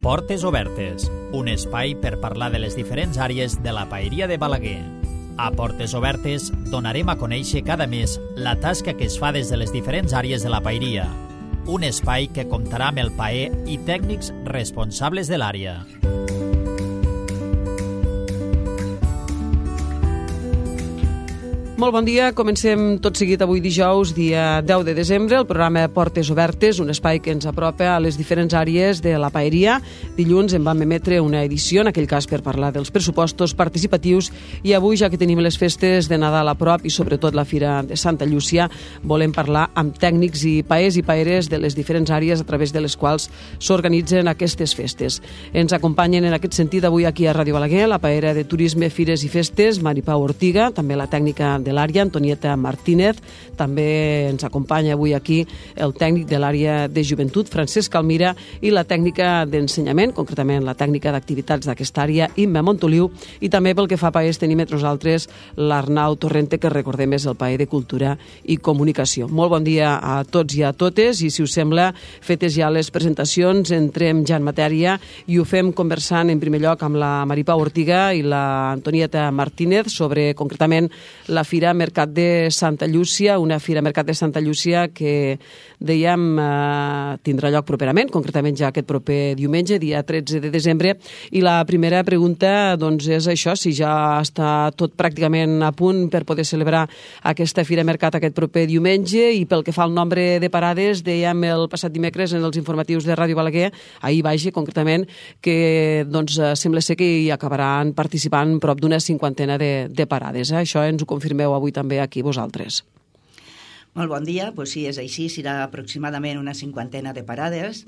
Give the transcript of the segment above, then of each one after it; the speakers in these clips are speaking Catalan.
Portes Obertes, un espai per parlar de les diferents àrees de la paeria de Balaguer. A Portes Obertes donarem a conèixer cada mes la tasca que es fa des de les diferents àrees de la paeria. Un espai que comptarà amb el paer i tècnics responsables de l'àrea. Molt bon dia, comencem tot seguit avui dijous, dia 10 de desembre, el programa Portes Obertes, un espai que ens apropa a les diferents àrees de la paeria. Dilluns en vam emetre una edició, en aquell cas per parlar dels pressupostos participatius, i avui, ja que tenim les festes de Nadal a prop i sobretot la Fira de Santa Llúcia, volem parlar amb tècnics i paers i paeres de les diferents àrees a través de les quals s'organitzen aquestes festes. Ens acompanyen en aquest sentit avui aquí a Ràdio Balaguer la paera de Turisme, Fires i Festes, Mari Pau Ortiga, també la tècnica de l'àrea, Antonieta Martínez. També ens acompanya avui aquí el tècnic de l'àrea de joventut, Francesc Almira, i la tècnica d'ensenyament, concretament la tècnica d'activitats d'aquesta àrea, Imma Montoliu, i també pel que fa a paers tenim entre nosaltres l'Arnau Torrente, que recordem és el paer de Cultura i Comunicació. Molt bon dia a tots i a totes, i si us sembla, fetes ja les presentacions, entrem ja en matèria i ho fem conversant en primer lloc amb la Mari Pau Ortiga i la Antonieta Martínez sobre concretament la Fira Mercat de Santa Llúcia, una Fira Mercat de Santa Llúcia que, dèiem, tindrà lloc properament, concretament ja aquest proper diumenge, dia 13 de desembre, i la primera pregunta doncs, és això, si ja està tot pràcticament a punt per poder celebrar aquesta Fira Mercat aquest proper diumenge, i pel que fa al nombre de parades, dèiem el passat dimecres en els informatius de Ràdio Balaguer, ahir vaja, concretament, que doncs, sembla ser que hi acabaran participant prop d'una cinquantena de parades. Això ens ho confirmeu avui també aquí vosaltres. Molt bon dia, doncs sí, és així, serà aproximadament una cinquantena de parades.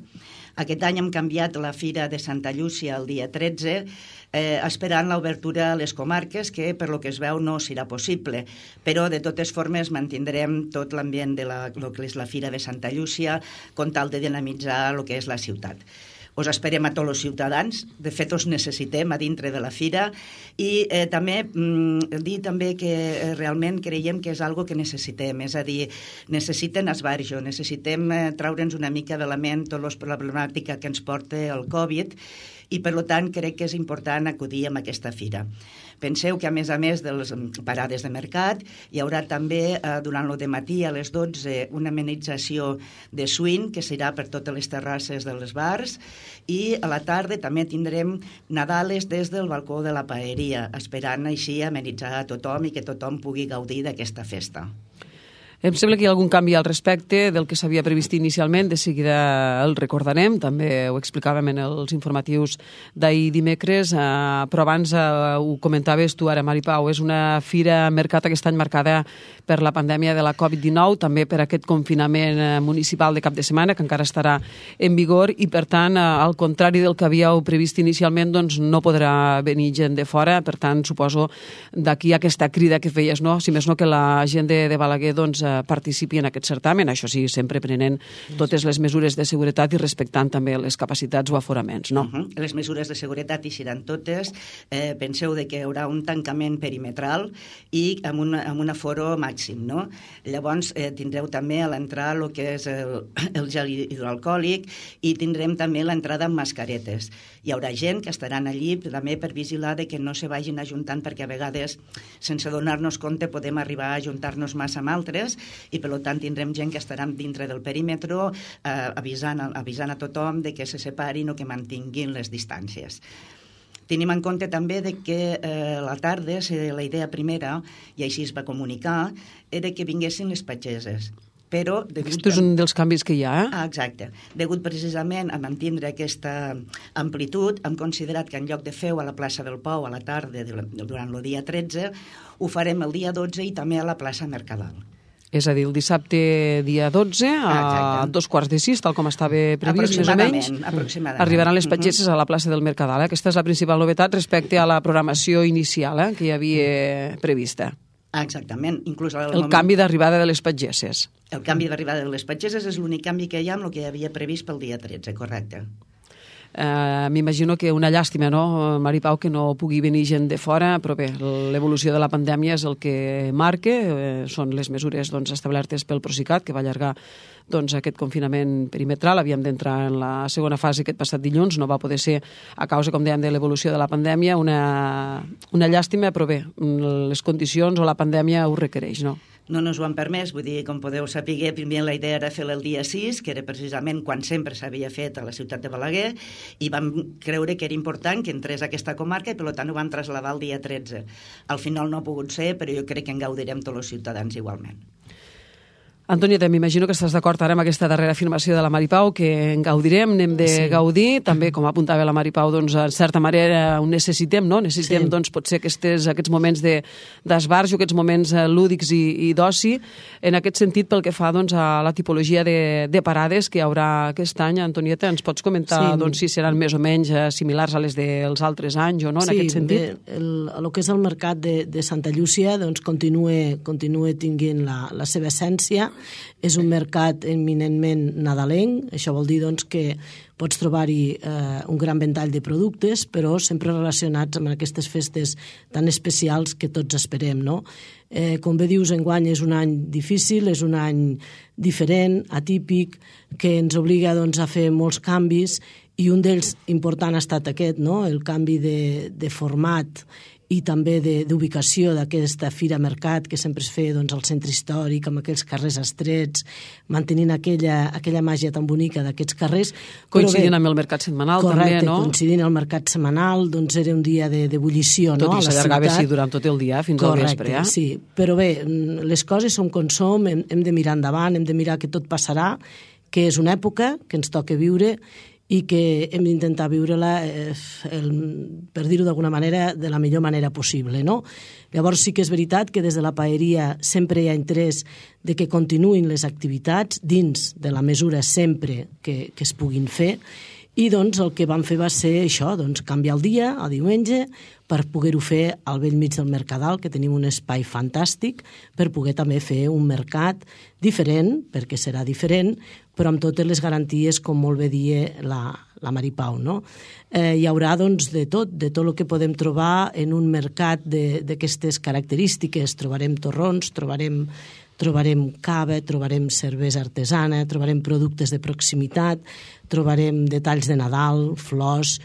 Aquest any hem canviat la Fira de Santa Llúcia el dia 13, esperant l'obertura a les comarques, que per lo que es veu no serà possible, però de totes formes mantindrem tot l'ambient de lo que és la Fira de Santa Llúcia, con tal de dinamitzar el que és la ciutat. Us esperem a tots els ciutadans, de fet us necessitem a dintre de la fira, i també dir també que realment creiem que és algo que necessitem, és a dir, necessiten esbarjo, necessitem traure'ns una mica de la ment tota la problemàtica que ens porta el Covid, i per tant crec que és important acudir a aquesta fira. Penseu que a més de les parades de mercat hi haurà també durant el dematí a les 12 una amenització de swing que serà per totes les terrasses dels bars, i a la tarda també tindrem Nadales des del balcó de la paeria, esperant així amenitzar a tothom i que tothom pugui gaudir d'aquesta festa. Em sembla que hi ha algun canvi al respecte del que s'havia previst inicialment, de seguida el recordarem, també ho explicàvem en els informatius d'ahir dimecres, però abans ho comentaves tu ara, Mari Pau, és una fira mercat aquest any marcada per la pandèmia de la Covid-19, també per aquest confinament municipal de cap de setmana, que encara estarà en vigor, i per tant, al contrari del que havíeu previst inicialment, doncs no podrà venir gent de fora, per tant, suposo d'aquí aquesta crida que feies, no? Si més no que la gent de Balaguer doncs participi en aquest certamen, això sí, sempre prenent totes les mesures de seguretat i respectant també les capacitats o aforaments, no? Les mesures de seguretat hi seran totes. Penseu que hi haurà un tancament perimetral i amb un aforo màxim, no? Llavors tindreu també a l'entrada el que és el gel hidroalcohòlic, i tindrem també l'entrada amb mascaretes. Hi haurà gent que estaran allí també per vigilar que no se vagin ajuntant, perquè a vegades, sense donar-nos compte, podem arribar a ajuntar-nos massa amb altres, i per tant tindrem gent que estarà dintre del perímetre avisant a tothom de que se separin o que mantinguin les distàncies. Tenim en compte també que a la tarda la idea primera, i així es va comunicar, era que vinguessin les pageses. Però aquest és un dels canvis que hi ha, Exacte. Degut precisament a mantindre aquesta amplitud, hem considerat que en lloc de fer-ho a la plaça del Pou a la tarda durant el dia 13, ho farem el dia 12 i també a la plaça Mercadal. És a dir, el dissabte dia 12 a 2:45, tal com estava previst, més o menys, arribaran les pageses a la plaça del Mercadal. Aquesta és la principal novetat respecte a la programació inicial que hi havia prevista. Exactament. Inclús el canvi d'arribada de les pageses. El canvi d'arribada de les pageses és l'únic canvi que hi ha amb el que hi havia previst pel dia 13, correcte. M'imagino que una llàstima, no, Mari Pau, que no pugui venir gent de fora, però bé, l'evolució de la pandèmia és el que marca, són les mesures establertes pel Procicat, que va allargar aquest confinament perimetral. Havíem d'entrar en la segona fase aquest passat dilluns, no va poder ser a causa, com dèiem, de l'evolució de la pandèmia, una llàstima, però bé, les condicions o la pandèmia ho requereix, no? No ens ho han permès, vull dir, com podeu saber, primer la idea era fer-la el dia 6, que era precisament quan sempre s'havia fet a la ciutat de Balaguer, i vam creure que era important que entrés a aquesta comarca i per tant ho vam traslladar el dia 13. Al final no ha pogut ser, però jo crec que en gaudirem tots els ciutadans igualment. Antonieta, m'imagino que estàs d'acord ara amb aquesta darrera afirmació de la Mari Pau, que en gaudirem, n'hem de gaudir. També, com apuntava la Mari Pau, en certa manera ho necessitem, no? Necessitem, potser aquests moments d'esbarjo, aquests moments lúdics i d'oci. En aquest sentit, pel que fa a la tipologia de parades que hi haurà aquest any, Antonieta, ens pots comentar si seran més o menys similars a les dels altres anys o no, en aquest sentit? Sí, el que és el mercat de Santa Llúcia continua tinguent la seva essència. És un mercat eminentment nadalenc, això vol dir que pots trobar-hi un gran ventall de productes, però sempre relacionats amb aquestes festes tan especials que tots esperem, no? Com bé dius, enguany és un any difícil, és un any diferent, atípic, que ens obliga a fer molts canvis, i un d'ells important ha estat aquest, no? El canvi de format i també d'ubicació d'aquesta Fira Mercat, que sempre es feia al centre històric, amb aquells carrers estrets, mantenint aquella màgia tan bonica d'aquests carrers. Coincidint amb el mercat setmanal, també, no? Correcte, coincidint amb el mercat setmanal, era un dia d'ebullició, no? Tot i s'allargava, durant tot el dia, fins al vespre, Correcte, sí. Però bé, les coses són com som, hem de mirar endavant, hem de mirar que tot passarà, que és una època que ens toca viure i que hem d'intentar viure-la, per dir-ho d'alguna manera, de la millor manera possible, no? Llavors sí que és veritat que des de la paeria sempre hi ha interès de que continuïn les activitats dins de la mesura sempre que es puguin fer, i el que vam fer va ser això, canviar el dia, a diumenge, per poder-ho fer al vell mig del Mercadal, que tenim un espai fantàstic, per poder també fer un mercat diferent, perquè serà diferent, però amb totes les garanties, com molt bé dia la Mari Pau, no? Hi haurà, de tot el que podem trobar en un mercat d'aquestes característiques. Trobarem torrons, trobarem cava, trobarem cervesa artesana, trobarem productes de proximitat, trobarem detalls de Nadal, flors,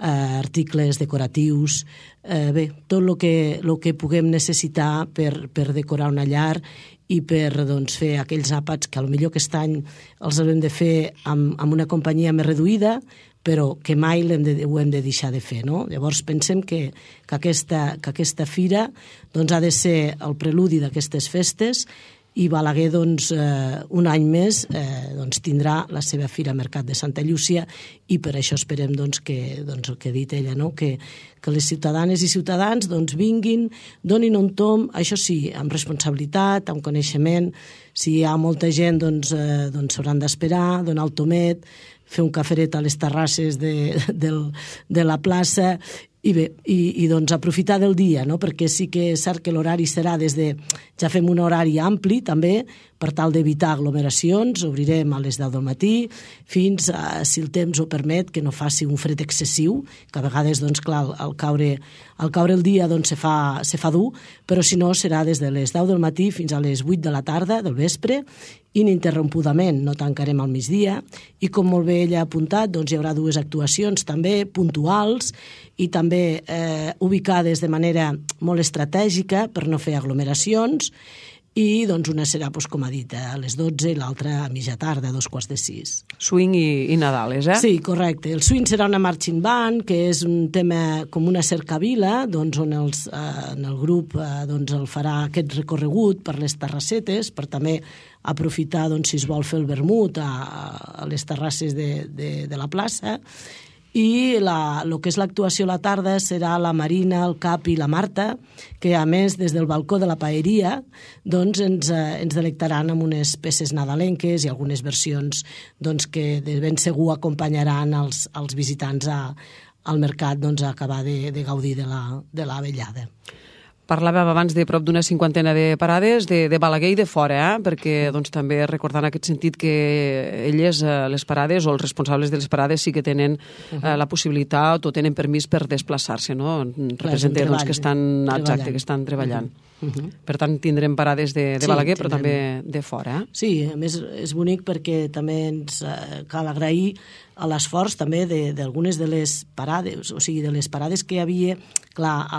articles decoratius, bé, tot el que puguem necessitar per decorar una llar i per fer aquells àpats que potser aquest any els haurem de fer amb una companyia més reduïda, però que mai ho hem de deixar de fer, no? Llavors pensem que aquesta fira ha de ser el preludi d'aquestes festes, i Balaguer, un any més, tindrà la seva Fira Mercat de Santa Llúcia, i per això esperem que el que ha dit ella, que les ciutadanes i ciutadans vinguin, donin un tomb, això sí, amb responsabilitat, amb coneixement. Si hi ha molta gent, s'hauran d'esperar, donar el tomet, fer un caferet a les terrasses de la plaça, i bé, aprofitar del dia, no? Perquè sí que és cert que l'horari serà ja fem un horari ampli també, per tal d'evitar aglomeracions. Obrirem a les 10 del matí fins a, si el temps ho permet, que no faci un fred excessiu, que a vegades, clar, al caure el dia se fa dur, però si no serà des de les 10 del matí fins a les 8 de la tarda, del vespre, ininterrompudament, no tancarem al migdia, i com molt bé ella ha apuntat, hi haurà dues actuacions també puntuals i també ubicades de manera molt estratègica per no fer aglomeracions, i una serà, com ha dit, a les 12 i l'altra a mitja tarda, a 5:45. Swing i Nadales, eh? Sí, correcte. El swing serà una marching band, que és un tema com una cercavila, on el grup el farà aquest recorregut per les terrassetes, per també aprofitar, si es vol fer el vermut a les terrasses de la plaça. I el que és l'actuació a la tarda serà la Marina, el Cap i la Marta, que a més des del balcó de la paeria ens delectaran amb unes peces nadalenques i algunes versions que de ben segur acompanyaran els visitants al mercat a acabar de gaudir de la vellada. Parlàvem abans de prop d'una cinquantena de parades de Balaguer i de fora, perquè doncs, també recordant en aquest sentit que elles, les parades o els responsables de les parades sí que tenen la possibilitat o tenen permís per desplaçar-se, no? Representa doncs, que estan treballant. Per tant, tindrem parades de Balaguer, però també de fora. Sí, a més és bonic perquè també ens cal agrair a l'esforç també d'algunes de les parades, o sigui, de les parades que hi havia, clar,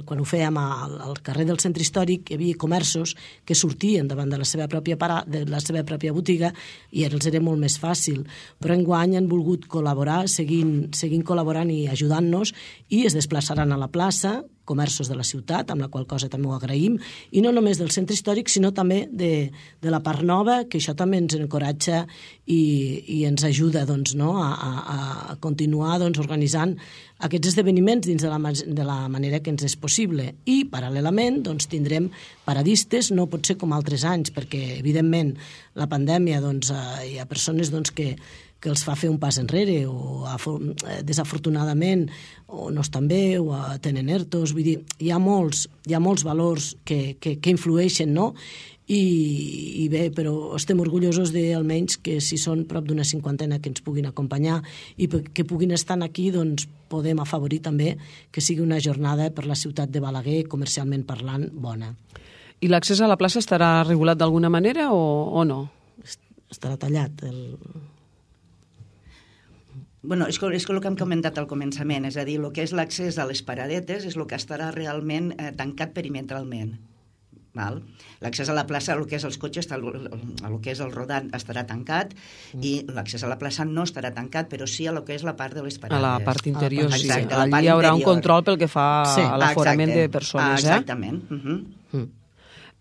quan ho fèiem al carrer del centre històric, hi havia comerços que sortien davant de la seva pròpia botiga i els era molt més fàcil. Però enguany han volgut col·laborar, seguint col·laborant i ajudant-nos, i es desplaçaran a la plaça, comerços de la ciutat, amb la qual cosa també ho agraïm, i no només del centre històric, sinó també de la part nova, que això també ens encoratja i ens ajuda doncs, no? a continuar doncs, organitzant aquests esdeveniments dins de la manera que ens és possible. I, paral·lelament, doncs, tindrem paradistes, no pot ser com altres anys, perquè, evidentment, la pandèmia, doncs, hi ha persones doncs, que els fa fer un pas enrere o desafortunadament o no estan bé o tenen ERTOs, vull dir, hi ha molts valors que influeixen, no? I bé, però estem orgullosos almenys que si són prop d'una cinquantena que ens puguin acompanyar i que puguin estar aquí, doncs podem afavorir també que sigui una jornada per la ciutat de Balaguer, comercialment parlant, bona. I l'accés a la plaça estarà regulat d'alguna manera o no? Estarà tallat Bueno, és el que hem comentat al començament, és a dir, el que és l'accés a les paradetes és el que estarà realment tancat perimetralment. L'accés a la plaça, el que és els cotxes, el que és el rodant estarà tancat i l'accés a la plaça no estarà tancat, però sí a el que és la part de les parades. A la part interior, sí. Exacte, allí hi haurà un control pel que fa a l'aforament de persones. Exactament.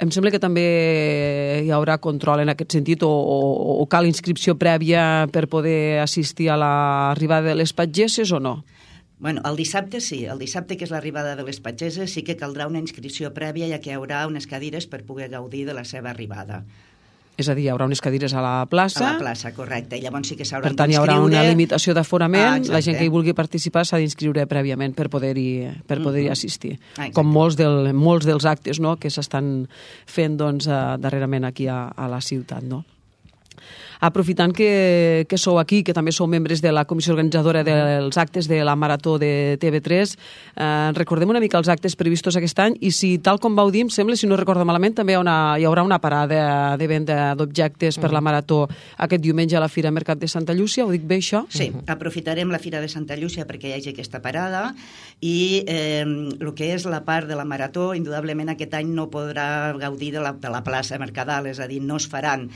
Em sembla que també hi haurà control en aquest sentit o cal inscripció prèvia per poder assistir a l'arribada de les patgesses o no? Bueno, el dissabte sí. El dissabte, que és l'arribada de les patgesses, sí que caldrà una inscripció prèvia, ja que hi haurà unes cadires per poder gaudir de la seva arribada. És a dir, hi haurà unes cadires a la plaça. A la plaça, correcte. I llavors sí que s'hauran d'inscriure. Per tant, hi haurà una limitació d'aforament. La gent que hi vulgui participar s'ha d'inscriure prèviament per poder-hi assistir. Com molts dels actes, no?, que s'estan fent doncs, darrerament aquí a la ciutat, no? Aprofitant que sou aquí, que també sou membres de la comissió organitzadora dels actes de la Marató de TV3, recordem una mica els actes previstos aquest any i si, tal com vau dir, em sembla, si no recordo malament, també hi haurà una parada de venda d'objectes per la Marató aquest diumenge a la Fira Mercat de Santa Llúcia, ho dic bé, això? Sí, aprofitarem la Fira de Santa Llúcia perquè hi hagi aquesta parada i el que és la part de la Marató, indudablement aquest any no podrà gaudir de la plaça Mercadal, és a dir, no es faran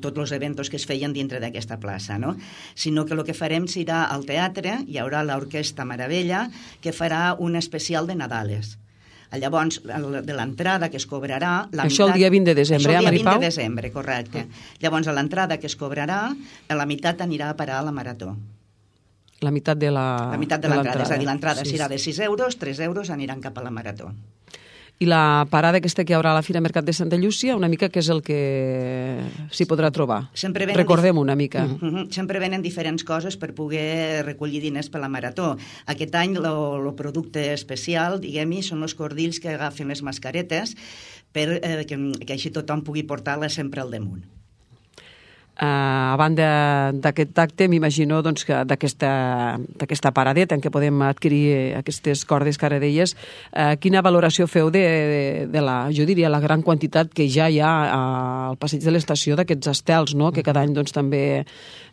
tots els eventos que es feien dintre d'aquesta plaça, no? Sinó que el que farem serà al teatre, hi haurà l'Orquestra Meravella, que farà un especial de Nadales. Llavors, de l'entrada que es cobrarà... Això el dia 20 de desembre, Maripau? Això el dia 20 Maripau? de desembre, correcte. Llavors, l'entrada que es cobrarà, la meitat anirà a parar a la Marató. La meitat de l'entrada. La meitat de l'entrada, és a dir, l'entrada serà de 6 euros, 3 euros aniran cap a la Marató. I la parada aquesta que hi haurà a la Fira Mercat de Santa Llúcia, una mica què és el que s'hi podrà trobar? Recordem una mica. Sempre venen diferents coses per poder recollir diners per la Marató. Aquest any el producte especial, diguem-hi, són els cordills que agafen les mascaretes perquè així tothom pugui portar-les sempre al damunt. A banda d'aquest acte, m'imagino doncs, que d'aquesta paradeta en què podem adquirir aquestes cordes que ara deies, quina valoració feu de jo diria, la gran quantitat que ja hi ha al passeig de l'estació d'aquests estels, no?, que cada any doncs, també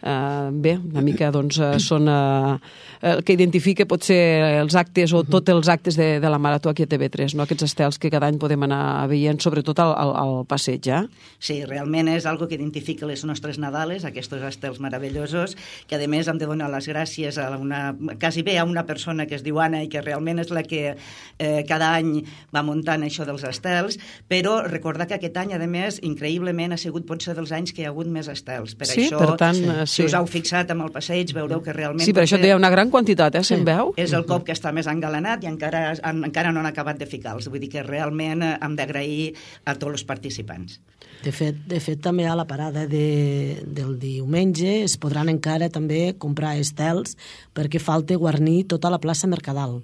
una mica doncs, són el que identifica potser els actes o tots els actes de la Marató aquí a TV3, no?, aquests estels que cada any podem anar veient, sobretot al passeig, Sí, realment és algo que identifica les nostres Nadales, aquests estels meravellosos, que a més hem de donar les gràcies a quasi bé a una persona que es diu Anna i que realment és la que cada any va muntant això dels estels, però recordar que aquest any, a més, increïblement ha sigut potser dels anys que hi ha hagut més estels. Per això, per tant, si us heu fixat amb el passeig, veureu que realment... Sí, per això hi ha una gran quantitat, se'n veu? És el cop que està més engalanat i encara no han acabat de ficar-los. Vull dir que realment hem d'agrair a tots els participants. De fet, també a la parada del diumenge es podran encara també comprar estels perquè falta guarnir tota la plaça Mercadal,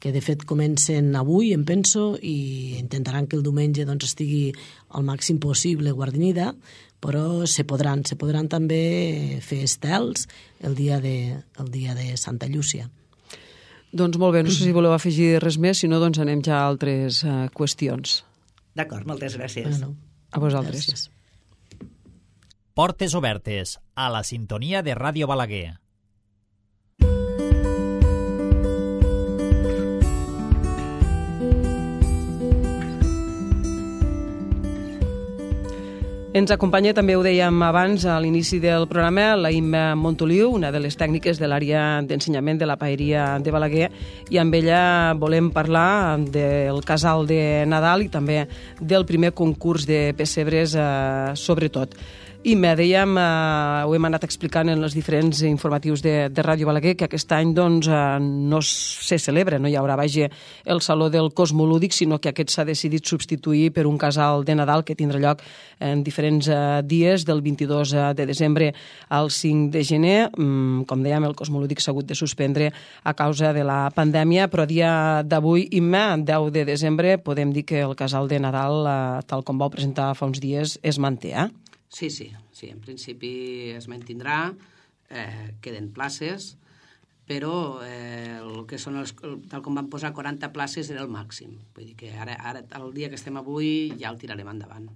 que de fet comencen avui, em penso, i intentaran que el diumenge doncs, estigui al màxim possible guarnida, però se podran també fer estels el dia de Santa Llúcia. Doncs molt bé, no sé si voleu afegir res més, si no, doncs anem ja a altres qüestions. D'acord, moltes gràcies. Bueno, a vosaltres. Gràcies. Portes obertes, a la sintonia de Ràdio Balaguer. Ens acompanya, també ho dèiem abans, a l'inici del programa, la Imma Montoliu, una de les tècniques de l'àrea d'ensenyament de la Paeria de Balaguer, i amb ella volem parlar del casal de Nadal i també del primer concurs de pessebres, sobretot. Imma, dèiem, ho hem anat explicant en els diferents informatius de Ràdio Balaguer, que aquest any doncs, no se celebra, no hi haurà el Saló del Cosmolúdic, sinó que aquest s'ha decidit substituir per un casal de Nadal que tindrà lloc en diferents dies, del 22 de desembre al 5 de gener. Com dèiem, el Cosmolúdic s'ha hagut de suspendre a causa de la pandèmia, però a dia d'avui, Imma, 10 de desembre, podem dir que el casal de Nadal, tal com vau presentar fa uns dies, es manté, Sí, en principi es mantindrà, queden places, però el que són tal com van posar 40 places era el màxim. Vull dir que ara el dia que estem avui, ja el tirarem endavant.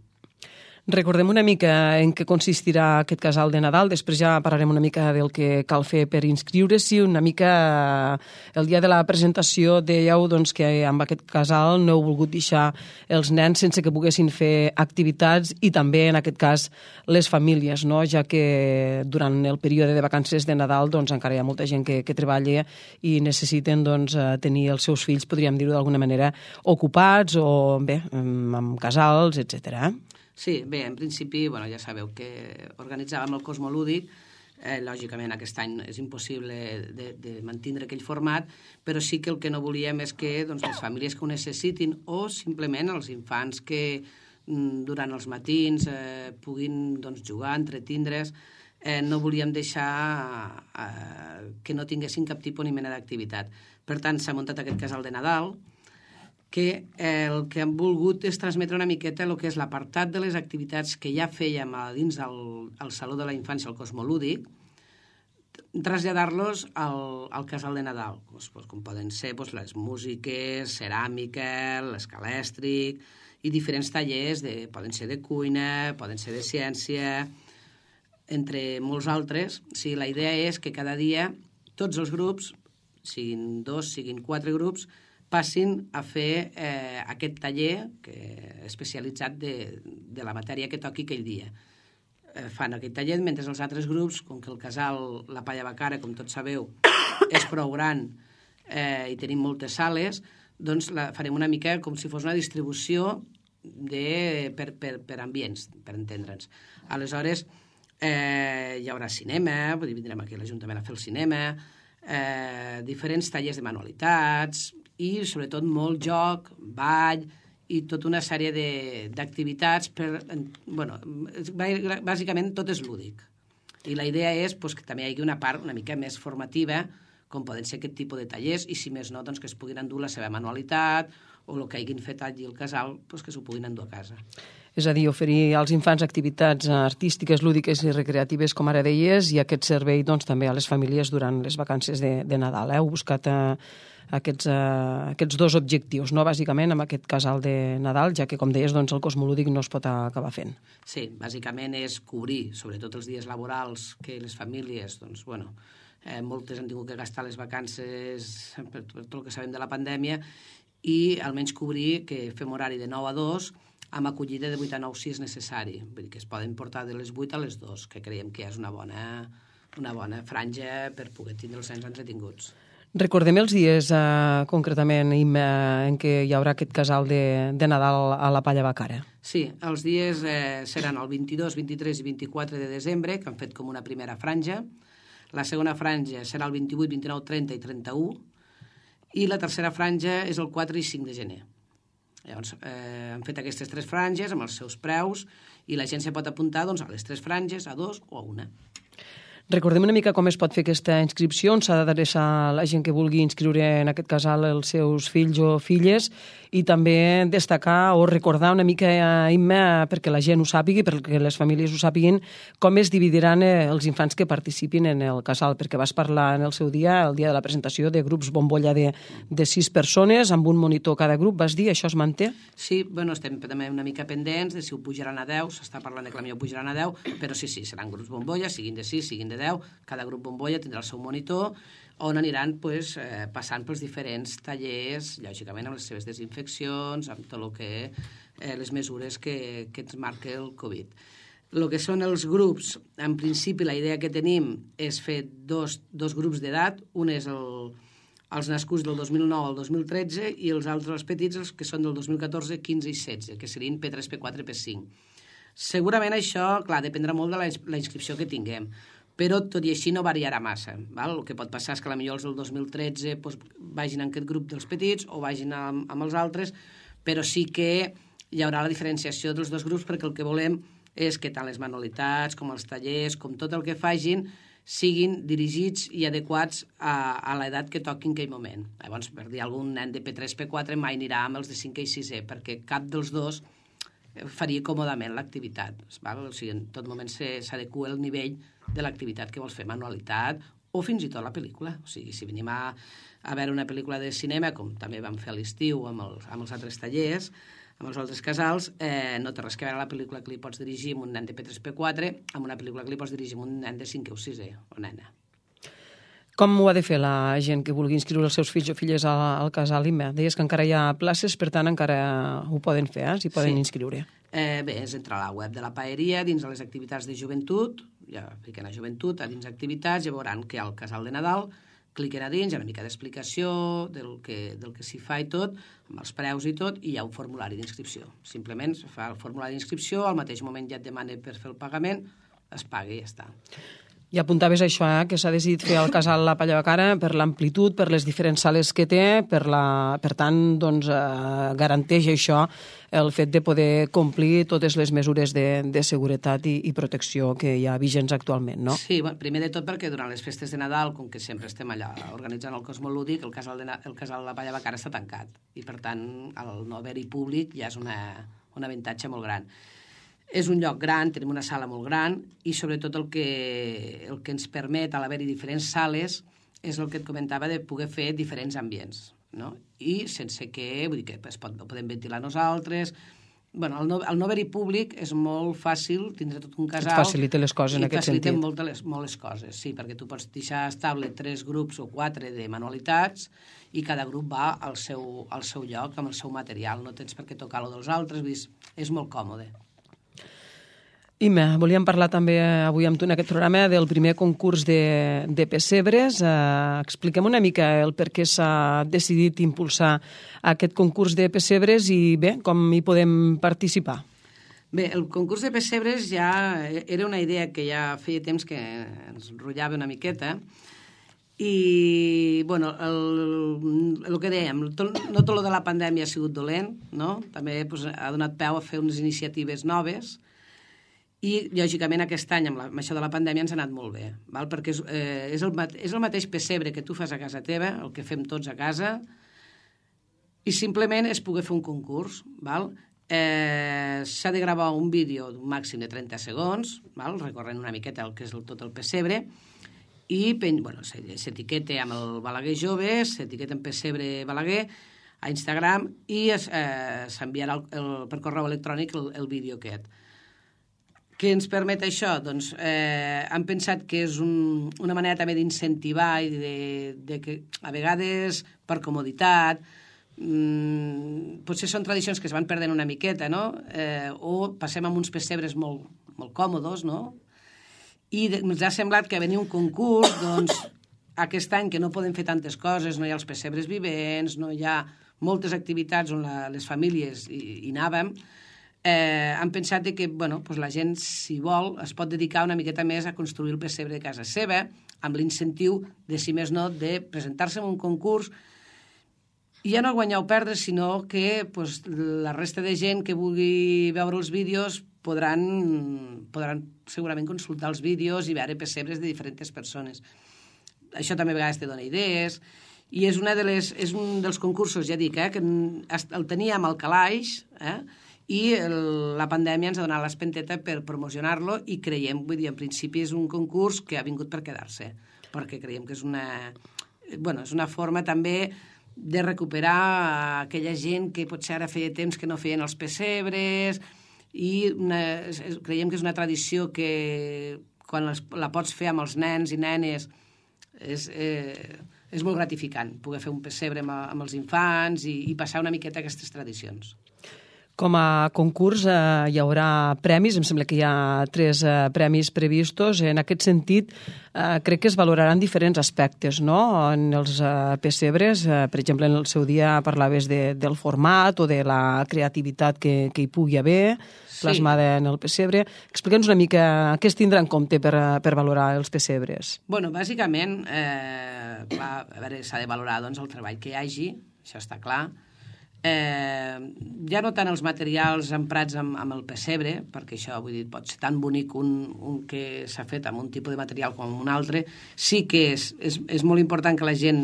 Recordem una mica en què consistirà aquest casal de Nadal, després ja parlarem una mica del que cal fer per inscriure-s'hi, una mica el dia de la presentació dèieu doncs, que amb aquest casal no heu volgut deixar els nens sense que poguessin fer activitats i també en aquest cas les famílies, no? Ja que durant el període de vacances de Nadal doncs, encara hi ha molta gent que treballa i necessiten doncs, tenir els seus fills, podríem dir-ho d'alguna manera, ocupats o bé, amb casals, etc. Sí, bé, en principi, ja sabeu que organitzàvem el Cosmolúdic, lògicament aquest any és impossible de mantenir aquell format, però sí que el que no volíem és que les famílies que ho necessitin o simplement els infants que durant els matins puguin jugar, entretindre's, no volíem deixar que no tinguessin cap tipus ni mena d'activitat. Per tant, s'ha muntat aquest casal de Nadal, que el que hem volgut és transmetre una miqueta el que és l'apartat de les activitats que ja fèiem dins el Saló de la Infància, el Cosmolúdic, traslladar-los al casal de Nadal, com poden ser les músiques, ceràmica, l'escalèstric i diferents tallers, poden ser de cuina, poden ser de ciència, entre molts altres. Sí, la idea és que cada dia tots els grups, siguin 2, siguin 4 grups, passin a fer aquest taller especialitzat de la matèria que toqui aquell dia. Fan aquest taller, mentre els altres grups, com que el casal La Palla Bacara, com tots sabeu, és prou gran i tenim moltes sales, doncs farem una mica com si fos una distribució per ambients, per entendre'ns. Aleshores, hi haurà cinema, vindrem aquí a l'Ajuntament a fer el cinema, diferents tallers de manualitats i sobretot molt joc, ball i tota una sèrie d'activitats bàsicament tot és lúdic. I la idea és que també hi hagi una part una mica més formativa, com poden ser aquest tipus de tallers, i si més no, que es puguin endur la seva manualitat o el que hagin fet allí al casal, que s'ho puguin endur a casa. És a dir, oferir als infants activitats artístiques, lúdiques i recreatives, com ara deies, i aquest servei també a les famílies durant les vacances de Nadal. Heu buscat aquests dos objectius, no? Bàsicament amb aquest casal de Nadal, ja que, com deies, el Cosmolúdic no es pot acabar fent. Sí, bàsicament és cobrir, sobretot els dies laborals, que les famílies, moltes han tingut que gastar les vacances per tot el que sabem de la pandèmia, i almenys cobrir que fem horari de 9 a 2 amb acollida de 8 a 9 si és necessari. Vull dir que es poden portar de les 8 a les 2, que creiem que és una bona franja per poder tindre els nens entretinguts. Recordem els dies concretament en què hi haurà aquest casal de Nadal a la Palla Bacara. Sí, els dies seran el 22, 23 i 24 de desembre, que han fet com una primera franja. La segona franja serà el 28, 29, 30 i 31. I la tercera franja és el 4 i 5 de gener. Llavors, han fet aquestes 3 franges amb els seus preus i la gent se pot apuntar a les 3 franges, a 2 o a 1. Recordem una mica com es pot fer aquesta inscripció, on s'ha d'adreçar la gent que vulgui inscriure en aquest casal els seus fills o filles, i també destacar o recordar una mica, Imma, perquè la gent ho sàpigui, perquè les famílies ho sàpiguin, com es dividiran els infants que participin en el casal, perquè vas parlar en el seu dia, el dia de la presentació, de grups bombolla de 6 persones, amb un monitor cada grup, vas dir, això es manté? Sí, bueno, estem també una mica pendents de si ho pujaran a 10, s'està parlant de que potser ho pujaran a 10, però sí, seran grups bombolla, siguin de 6, siguin de 10, cada grup bombolla tindrà el seu monitor, on aniran passant pels diferents tallers, lògicament amb les seves desinfeccions, amb tot el que les mesures que ens marca el Covid. El que són els grups, en principi la idea que tenim és fer dos grups d'edat, un és els nascuts del 2009 al 2013 i els altres, els petits, els que són del 2014, 15 i 16, que serien P3, P4, P5. Segurament això, clar, dependrà molt de la inscripció que tinguem, però tot i així no variarà massa. Val? El que pot passar és que potser els del 2013 vagin en aquest grup dels petits o vagin amb els altres, però sí que hi haurà la diferenciació dels dos grups, perquè el que volem és que tant les manualitats com els tallers, com tot el que facin, siguin dirigits i adequats a l'edat que toqui en aquell moment. Llavors, per dir, algun nen de P3, P4 mai anirà amb els de 5 i 6è, perquè cap dels dos faria còmodament l'activitat. O sigui, en tot moment s'adequa el nivell de l'activitat que vols fer, manualitat o fins i tot la pel·lícula. O sigui, si venim a veure una pel·lícula de cinema, com també vam fer a l'estiu amb els altres tallers, amb els altres casals, no té res que veure la pel·lícula que li pots dirigir amb un nen de P3, P4 amb una pel·lícula que li pots dirigir amb un nen de 5 o 6è, o nena. Com ho ha de fer la gent que vulgui inscriure els seus fills o filles al casal, Imma? Deies que encara hi ha places, per tant encara ho poden fer, s'hi poden inscriure. Bé, és entrar a la web de la paeria, dins de les activitats de joventut, ja fiquen a joventut, a dins activitats, ja veuran que hi ha el casal de Nadal, cliquen a dins, hi ha una mica d'explicació del que s'hi fa i tot, amb els preus i tot, i hi ha un formulari d'inscripció. Simplement es fa el formulari d'inscripció, al mateix moment ja et demana per fer el pagament, es paga i ja està. I apuntaves això, que s'ha decidit fer el casal La Palla de Cara per l'amplitud, per les diferents sales que té, per tant, doncs, garanteix això el fet de poder complir totes les mesures de seguretat i protecció que hi ha vigents actualment, no? Sí, primer de tot perquè durant les festes de Nadal, com que sempre estem allà organitzant el Cosmolúdic, el casal La Palla de Cara està tancat i, per tant, el no haver-hi públic ja és un avantatge molt gran. És un lloc gran, tenim una sala molt gran i sobretot el que ens permet a l'haver-hi diferents sales és el que et comentava de poder fer diferents ambients, no? I sense que, vull dir que podem ventilar nosaltres. Bueno, al no haver-hi públic és molt fàcil tindre tot un casal. Et facilita les coses en aquest sentit. I facilita molt les coses, sí, perquè tu pots deixar estable 3 grups o 4 de manualitats i cada grup va al seu lloc, amb el seu material. No tens per què tocar-lo dels altres, és molt còmode. Imma, volíem parlar també avui amb tu en aquest programa del primer concurs de pessebres. Expliquem una mica el per què s'ha decidit impulsar aquest concurs de pessebres i bé, com hi podem participar. Bé, el concurs de pessebres ja era una idea que ja feia temps que ens enrotllava una miqueta i, bueno, el que dèiem, no tot el de la pandèmia ha sigut dolent, no? També ha donat peu a fer unes iniciatives noves i, lògicament, aquest any, amb això de la pandèmia, ens ha anat molt bé, val? Perquè és el mateix pessebre que tu fas a casa teva, el que fem tots a casa, i simplement és poder fer un concurs, val? S'ha de gravar un vídeo d'un màxim de 30 segons, val? Recorrent una miqueta el que és tot el pessebre, i s'etiqueta amb el Balaguer Jove, s'etiqueta en Pessebre Balaguer a Instagram i s'enviarà per correu electrònic el vídeo aquest. Què ens permet això? Doncs hem pensat que és una manera també d'incentivar i de que a vegades per comoditat potser són tradicions que es van perdent una miqueta, no? O passem amb uns pessebres molt, molt còmodes, no? I ens ha semblat que venia un concurs, doncs aquest any que no podem fer tantes coses, no hi ha els pessebres vivents, no hi ha moltes activitats on les famílies hi anàvem, han pensat que la gent, si vol, es pot dedicar una miqueta més a construir el pessebre de casa seva, amb l'incentiu de, si més no, de presentar-se en un concurs I ja no guanyar o perdre, sinó que la resta de gent que vulgui veure els vídeos podran segurament consultar els vídeos i veure pessebres de diferents persones. Això també a vegades te dona idees, i és un dels concursos, ja dic, que el teníem al calaix, i la pandèmia ens ha donat l'espenteta per promocionar-lo, i creiem, vull dir, en principi és un concurs que ha vingut per quedar-se, perquè creiem que és una forma també de recuperar aquella gent que potser ara feia temps que no feien els pessebres, i creiem que és una tradició que quan la pots fer amb els nens i nenes és molt gratificant poder fer un pessebre amb els infants i passar una miqueta aquestes tradicions. Com a concurs hi haurà premis, em sembla que hi ha 3 premis previstos. En aquest sentit, crec que es valoraran diferents aspectes, no? En els pessebres, per exemple, en el seu dia parlaves del format o de la creativitat que hi pugui haver plasmada en el pessebre. Explica'ns una mica què es tindrà en compte per valorar els pessebres. Bueno, bàsicament, s'ha de valorar el treball que hi hagi, això està clar. Ja no tant els materials emprats amb el pessebre, perquè això, vull dir, pot ser tan bonic un que s'ha fet amb un tipus de material com un altre. Sí que és molt important que la gent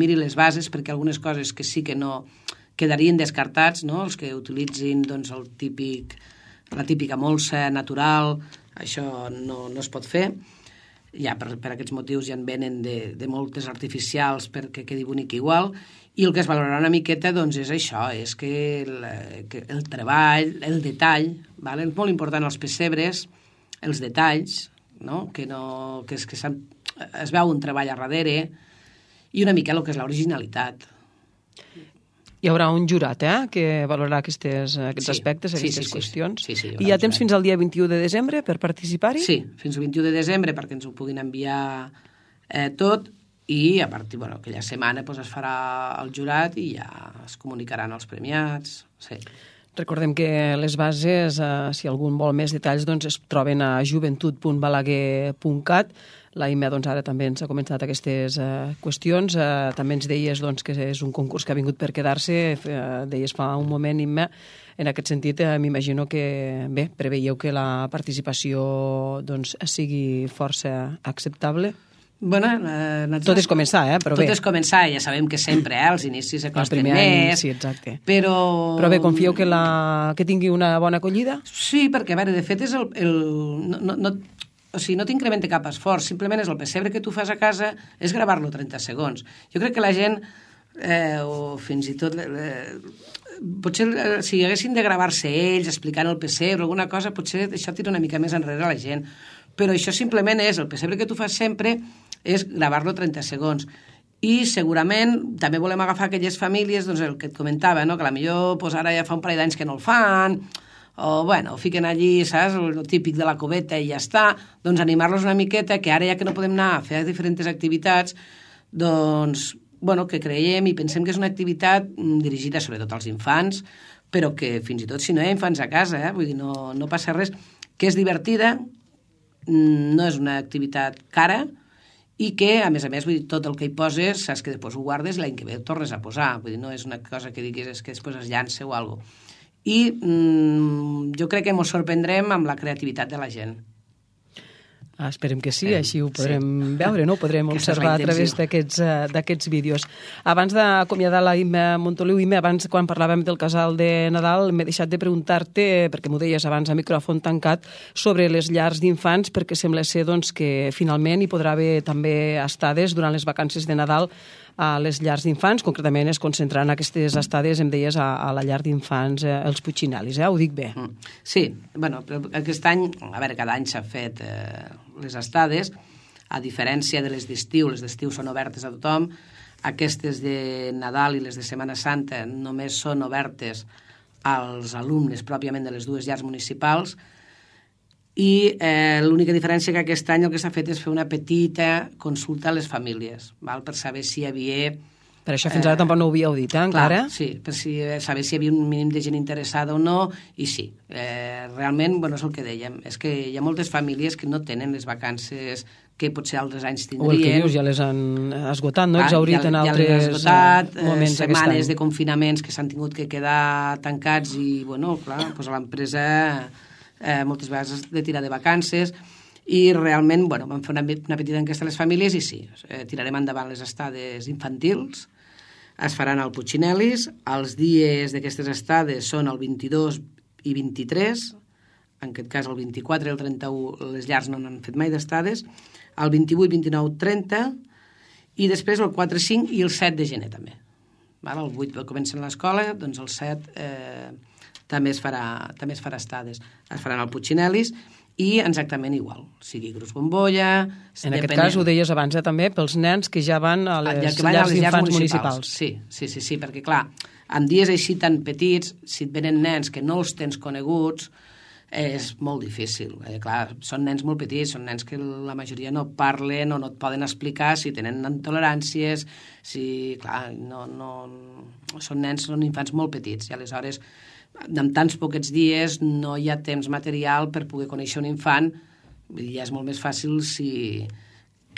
miri les bases, perquè algunes coses que sí que no quedarien descartats, no? Els que utilitzin la típica molsa natural, això no es pot fer. Ja per aquests motius ja en venen de moltes artificials perquè quedi bonic igual. I el que es valorarà una miqueta és això, és que el treball, el detall, és molt important als pessebres, els detalls, que es veu un treball a darrere, i una mica el que és l'originalitat. Hi haurà un jurat que valorarà aquests aspectes, aquestes qüestions. Sí, I hi ha temps fins al dia 21 de desembre per participar-hi? Sí, fins al 21 de desembre perquè ens ho puguin enviar tot, i a partir d'aquella setmana es farà el jurat i ja es comunicaran els premiats. Sí. Recordem que les bases, si algú vol més detalls, es troben a joventut.balaguer.cat. La Imma ara també ens ha comentat aquestes qüestions. També ens deies que és un concurs que ha vingut per quedar-se. Deies fa un moment, Imma. En aquest sentit, m'imagino que preveieu que la participació sigui força acceptable. Tot és començar, però bé. Tot és començar, ja sabem que sempre, els inicis acosten més. Sí, exacte. Però bé, confieu que tingui una bona acollida? Sí, perquè, a veure, de fet, és no t'incrementa cap esforç, simplement és el pessebre que tu fas a casa, és gravar-lo 30 segons. Jo crec que la gent, o fins i tot, potser si haguessin de gravar-se ells explicant el pessebre o alguna cosa, potser això tira una mica més enrere a la gent. Però això simplement és, el pessebre que tu fas sempre és gravar-lo 30 segons. I segurament també volem agafar aquelles famílies, el que et comentava, que potser ara ja fa un parell d'anys que no el fan, o fiquen allí, saps, el típic de la coveta i ja està, animar-los una miqueta, que ara ja que no podem anar a fer diferents activitats, que creiem i pensem que és una activitat dirigida sobretot als infants, però que fins i tot si no hi ha infants a casa, vull dir, no passa res, que és divertida, no és una activitat cara, i que, a més, vull dir, tot el que hi poses, saps que després ho guardes i l'any que ve ho tornes a posar. Vull dir, no és una cosa que diguis que després es llança o alguna cosa. I jo crec que ens sorprendrem amb la creativitat de la gent. Esperem que sí, així ho podrem veure, no? Ho podrem observar a través d'aquests vídeos. Abans d'acomiadar la Imma Montoliu, Imma, abans quan parlàvem del casal de Nadal m'he deixat de preguntar-te, perquè m'ho deies abans a micròfon tancat, sobre les llars d'infants, perquè sembla ser que finalment hi podrà haver també estades durant les vacances de Nadal a les llars d'infants, concretament es concentraran aquestes estades, em deies, a la llar d'infants, els Puiginalis, ho dic bé? Sí, però aquest any, a veure, cada any s'ha fet les estades, a diferència de les d'estiu són obertes a tothom, aquestes de Nadal i les de Setmana Santa només són obertes als alumnes pròpiament de les dues llars municipals, i l'única diferència que aquest any el que s'ha fet és fer una petita consulta a les famílies, per saber si hi havia Per això fins ara tampoc no ho havíeu dit, encara? Clar, sí, per saber si hi havia un mínim de gent interessada o no, i sí. Realment, és el que dèiem, és que hi ha moltes famílies que no tenen les vacances que potser altres anys tindrien. O el que dius, ja les han esgotat, no? Exhaurit en altres moments. Setmanes de confinaments que s'han tingut que quedar tancats i, clar, l'empresa moltes vegades has de tirar de vacances i realment, vam fer una petita enquesta a les famílies i sí, tirarem endavant les estades infantils. Es faran al Puigcinelis, els dies d'aquestes estades són el 22 i 23, en aquest cas el 24 i el 31 les llars no n'han fet mai d'estades, el 28, 29, 30, i després el 4, 5 i el 7 de gener també. El 8 comencen l'escola, doncs el 7 també es farà estades. Es faran al Puigcinelis, i exactament igual, sigui Cruz Bombolla... En aquest cas, ho deies abans, també, pels nens que ja van a les llars d'infants municipals. Sí, perquè, clar, en dies així tan petits, si et venen nens que no els tens coneguts, és molt difícil. Clar, són nens molt petits, són nens que la majoria no parlen o no et poden explicar si tenen intoleràncies, clar, són infants molt petits, i aleshores en tants poquets dies no hi ha temps material per poder conèixer un infant, i ja és molt més fàcil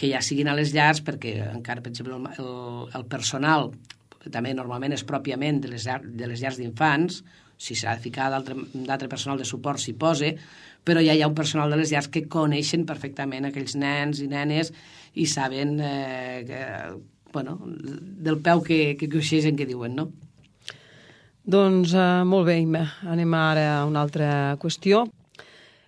que ja siguin a les llars, perquè encara, per exemple, el personal també normalment és pròpiament de les llars d'infants, si s'ha de ficar d'altre personal de suport s'hi posa, però ja hi ha un personal de les llars que coneixen perfectament aquells nens i nenes i saben del peu que coixegen, que diuen, no? Doncs molt bé, Imma. Anem ara a una altra qüestió.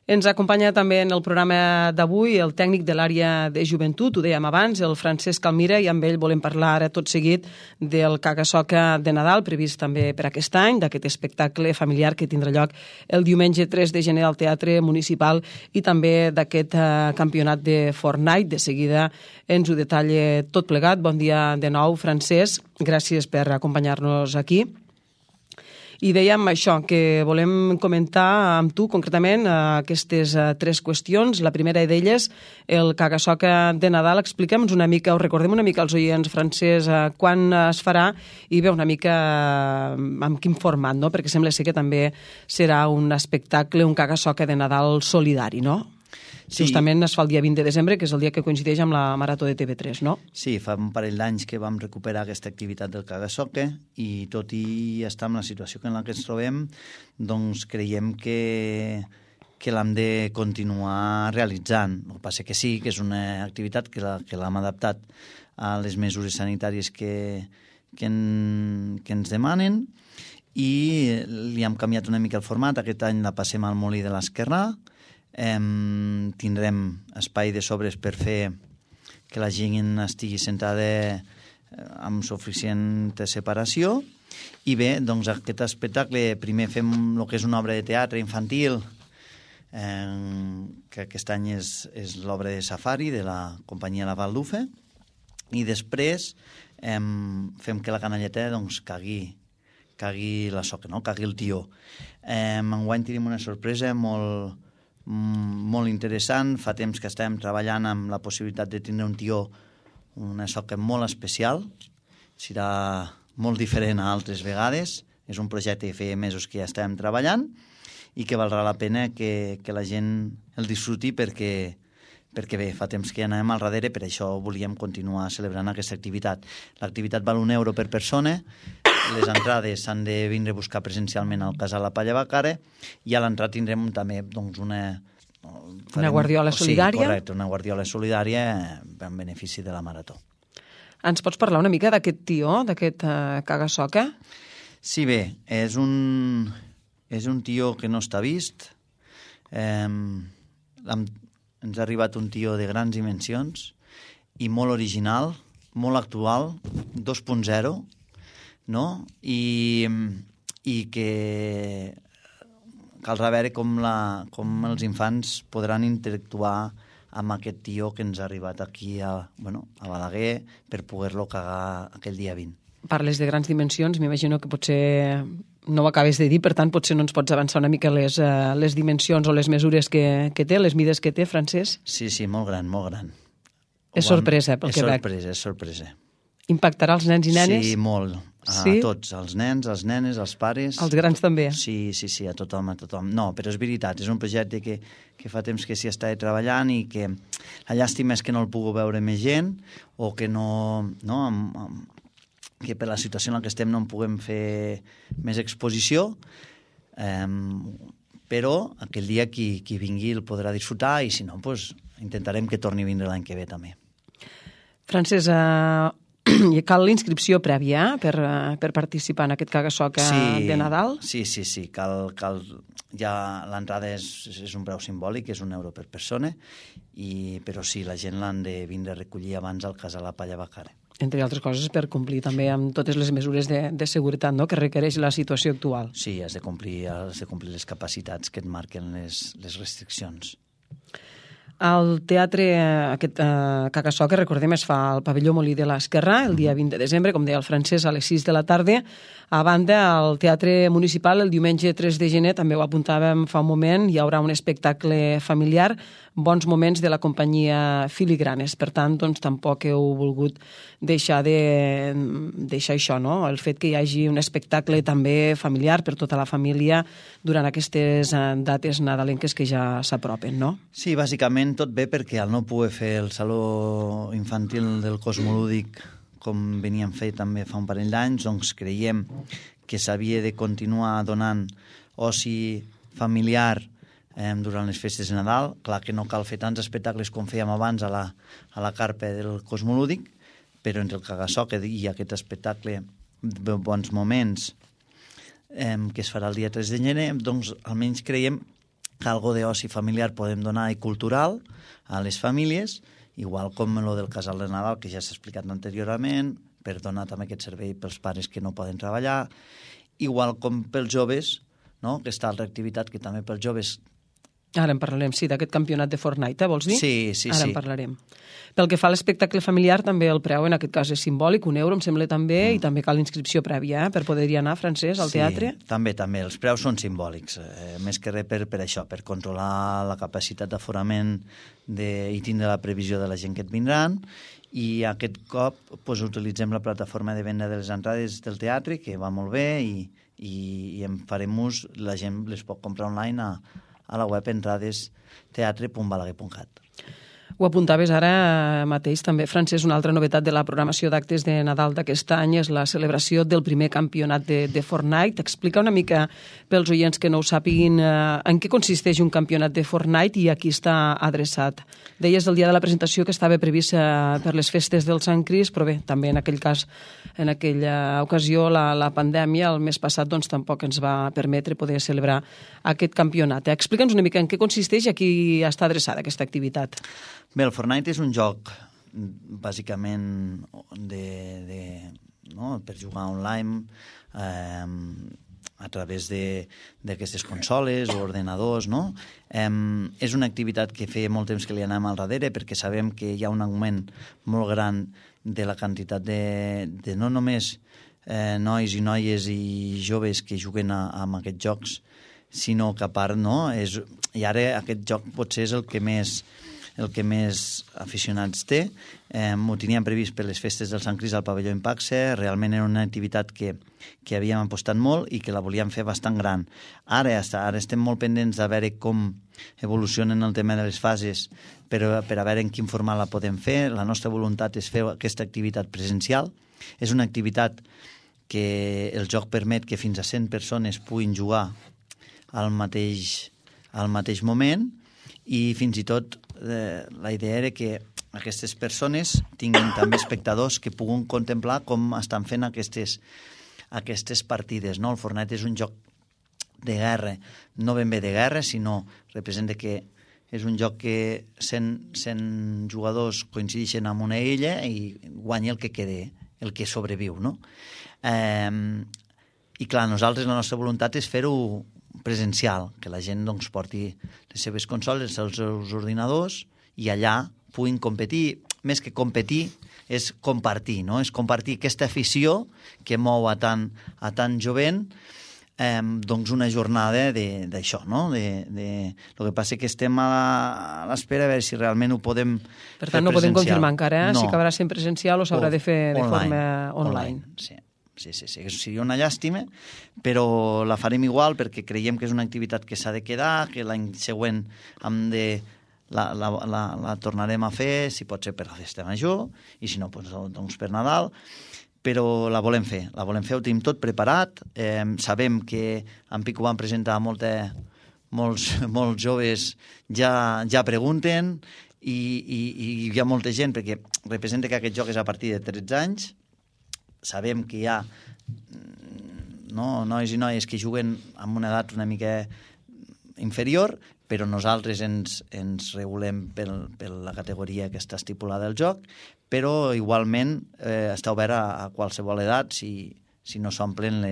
Ens acompanya també en el programa d'avui el tècnic de l'àrea de joventut, ho dèiem abans, el Francesc Almira, i amb ell volem parlar ara tot seguit del Caga-Soca de Nadal, previst també per aquest any, d'aquest espectacle familiar que tindrà lloc el diumenge 3 de gener al Teatre Municipal, i també d'aquest campionat de Fortnite. De seguida ens ho detalla tot plegat. Bon dia de nou, Francesc. Gràcies per acompanyar-nos aquí. I dèiem això, que volem comentar amb tu concretament aquestes tres qüestions. La primera d'elles, el Caga-Soca de Nadal. Expliquem-nos una mica, o recordem una mica als oients, Francesc, quan es farà i bé, una mica amb quin format, no? Perquè sembla ser que també serà un espectacle, un Caga-Soca de Nadal solidari, no? Sí. Justament es fa el dia 20 de desembre, que és el dia que coincideix amb la Marató de TV3, no? Sí, fa un parell d'anys que vam recuperar aquesta activitat del Caga-Soca i tot i estar en la situació en la que ens trobem, doncs creiem que l'hem de continuar realitzant. El que passa que sí, que és una activitat que l'hem adaptat a les mesures sanitàries que ens demanen i li hem canviat una mica el format. Aquest any la passem al Molí de l'Esquerrà. Tindrem espai de sobres per fer que la gent estigui sentada amb suficient separació i bé, doncs aquest espectacle primer fem el que és una obra de teatre infantil que aquest any és l'obra de Safari de la companyia La Baldufa i després fem que la canalleta doncs cagui la soca, no? Cagui el tió. Enguany tenim una sorpresa molt interessant. Fa temps que estem treballant amb la possibilitat de tindre un tió, una soca molt especial. Serà molt diferent a altres vegades. És un projecte que feia mesos que ja estem treballant i que valdrà la pena que la gent el disfruti perquè bé, fa temps que ja anem al darrere, per això volíem continuar celebrant aquesta activitat. L'activitat val €1 per persona, les entrades s'han de vindre a buscar presencialment al Casal La Palla Bacara i a l'entrada tindrem també doncs, una guardiola solidària. Sí, correcte, una guardiola solidària en benefici de la Marató. Ens pots parlar una mica d'aquest tió, d'aquest Caga-Soca? Sí, bé, és un tió que no està vist. Ens ha arribat un tió de grans dimensions i molt original, molt actual, 2.0, no? I que caldrà veure com els infants podran interactuar amb aquest tió que ens ha arribat aquí a Balaguer per poder-lo cagar aquell dia 20. Parles de grans dimensions, m'imagino que potser no ho acabes de dir, per tant potser no ens pots avançar una mica les dimensions o les mesures que té, les mides que té, Francesc? Sí, molt gran, molt gran. És sorpresa, pel que veig. És sorpresa. Impactarà els nens i nenes? Sí, molt. A tots, els nens, les nenes, els pares... Els grans també? Sí, a tothom, a tothom. No, però és veritat, és un projecte que fa temps que s'hi està treballant i que la llàstima és que no el pugui veure més gent o que que per la situació en la que estem no en puguem fer més exposició, però aquell dia qui vingui el podrà disfrutar i si no, doncs, intentarem que torni a vindre l'any que ve també. Francesc, cal l'inscripció prèvia per participar en aquest caga-soca de Nadal? Sí, cal ja l'entrada és un preu simbòlic, és €1 per persona, però sí, la gent l'han de vindre a recollir abans al casal a Palla Bacare. Entre altres coses per complir també amb totes les mesures de seguretat, no?, que requereix la situació actual. Sí, has de complir les capacitats que et marquen les restriccions. El teatre, aquest caga-soca, recordem, es fa al pavelló Molí de l'Esquerrà el dia 20 de desembre, com deia el Francesc, a les 6 de la tarda. A banda, al Teatre Municipal, el diumenge 3 de gener, també ho apuntàvem fa un moment, hi haurà un espectacle familiar, Bons moments de la companyia Filigranes. Per tant, doncs, tampoc heu volgut deixar això, no?, el fet que hi hagi un espectacle també familiar per tota la família durant aquestes dates nadalenques que ja s'apropen, no? Sí, bàsicament tot bé perquè al no poder fer el saló infantil del Cosmolúdic com veníem fer també fa un parell d'anys, doncs creiem que s'havia de continuar donant oci familiar durant les festes de Nadal. Clar que no cal fer tants espectacles com fèiem abans a la carpa del Cosmolúdic, però entre el caga-soca i aquest espectacle de Bons moments que es farà el dia 3 de gener, doncs almenys creiem que algo d'oci familiar podem donar i cultural a les famílies, igual com el del casal de Nadal, que ja s'ha explicat anteriorment, per donar també aquest servei pels pares que no poden treballar, igual com pels joves, no?, que està altra activitat que també pels joves. Ara en parlarem, sí, d'aquest campionat de Fortnite, vols dir? Sí. Ara en parlarem. Pel que fa a l'espectacle familiar, també el preu en aquest cas és simbòlic, €1 em sembla també, i també cal inscripció prèvia per poder-hi anar, Francesc, al teatre. Sí, també, els preus són simbòlics, més que res per això, per controlar la capacitat d'aforament i tindre la previsió de la gent que et vindran, i aquest cop utilitzem la plataforma de venda de les entrades del teatre, que va molt bé, i en farem ús, la gent les pot comprar online a la web entrades.teatre.balaguer.cat. Ho apuntaves ara mateix també, Francesc, una altra novetat de la programació d'actes de Nadal d'aquest any és la celebració del primer campionat de Fortnite. Explica una mica pels oients que no ho sàpiguin en què consisteix un campionat de Fortnite i a qui està adreçat. Deies el dia de la presentació que estava previst per les festes del Sant Crist, però bé, també en aquell cas, en aquella ocasió, la pandèmia el mes passat doncs tampoc ens va permetre poder celebrar aquest campionat. Explica'ns una mica en què consisteix i a qui està adreçada aquesta activitat. Bé, el Fortnite és un joc bàsicament per jugar online a través d'aquestes consoles o ordenadors, no? És una activitat que feia molt temps que li anàvem al darrere perquè sabem que hi ha un augment molt gran de la quantitat de no només nois i noies i joves que juguen amb aquests jocs, sinó que a part, no? I ara aquest joc potser és el que més aficionats té. Ho teníem previst per les festes del Sant Crist al pavelló Impaxe. Realment era una activitat que havíem apostat molt i que la volíem fer bastant gran. Ara estem molt pendents de veure com evolucionen el tema de les fases per a veure en quin format la podem fer. La nostra voluntat és fer aquesta activitat presencial. És una activitat que el joc permet que fins a 100 persones puguin jugar al mateix moment, i fins i tot la idea era que aquestes persones tinguin també espectadors que puguin contemplar com estan fent aquestes partides, no? El Fortnite és un joc de guerra, no ben bé de guerra, sinó representa que és un joc que 100 jugadors coincideixen en una illa i guanya el que queda, el que sobreviu, no? I clar, nosaltres la nostra voluntat és fer-ho presencial, que la gent doncs, porti les seves consoles, els seus ordinadors i allà puguin competir. Més que competir, és compartir, no? És compartir aquesta afició que mou a tant jovent doncs una jornada d'això, no? El que passa que estem a l'espera a veure si realment ho podem fer presencial. Per tant, no podem confirmar encara si acabarà sent presencial o s'haurà de fer de forma online. Sí, seria una llàstima, però la farem igual perquè creiem que és una activitat que s'ha de quedar, que l'any següent la tornarem a fer, si pot ser per la festa major, i si no, doncs per Nadal, però la volem fer, ho tenim tot preparat, sabem que en Pico van presentar molts joves ja pregunten i hi ha molta gent perquè representa que aquest joc és a partir de 13 anys, sabem que hi ha nois i noies que juguen amb una edat una mica inferior, però nosaltres ens regulem per la categoria que està estipulada al joc, però igualment està obert a qualsevol edat si no s'omplen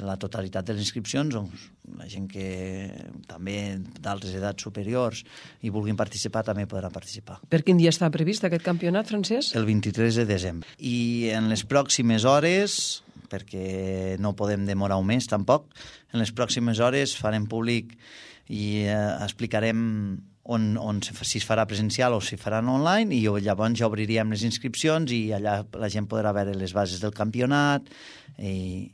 la totalitat de les inscripcions, doncs la gent que també d'altres edats superiors i vulguin participar també podrà participar. Per quin dia està previst aquest campionat, Francesc? El 23 de desembre. I en les pròximes hores, perquè no podem demorar un mes tampoc, en les pròximes hores farem públic i explicarem si es farà presencial o si faran online, i llavors ja obriríem les inscripcions i allà la gent podrà veure les bases del campionat i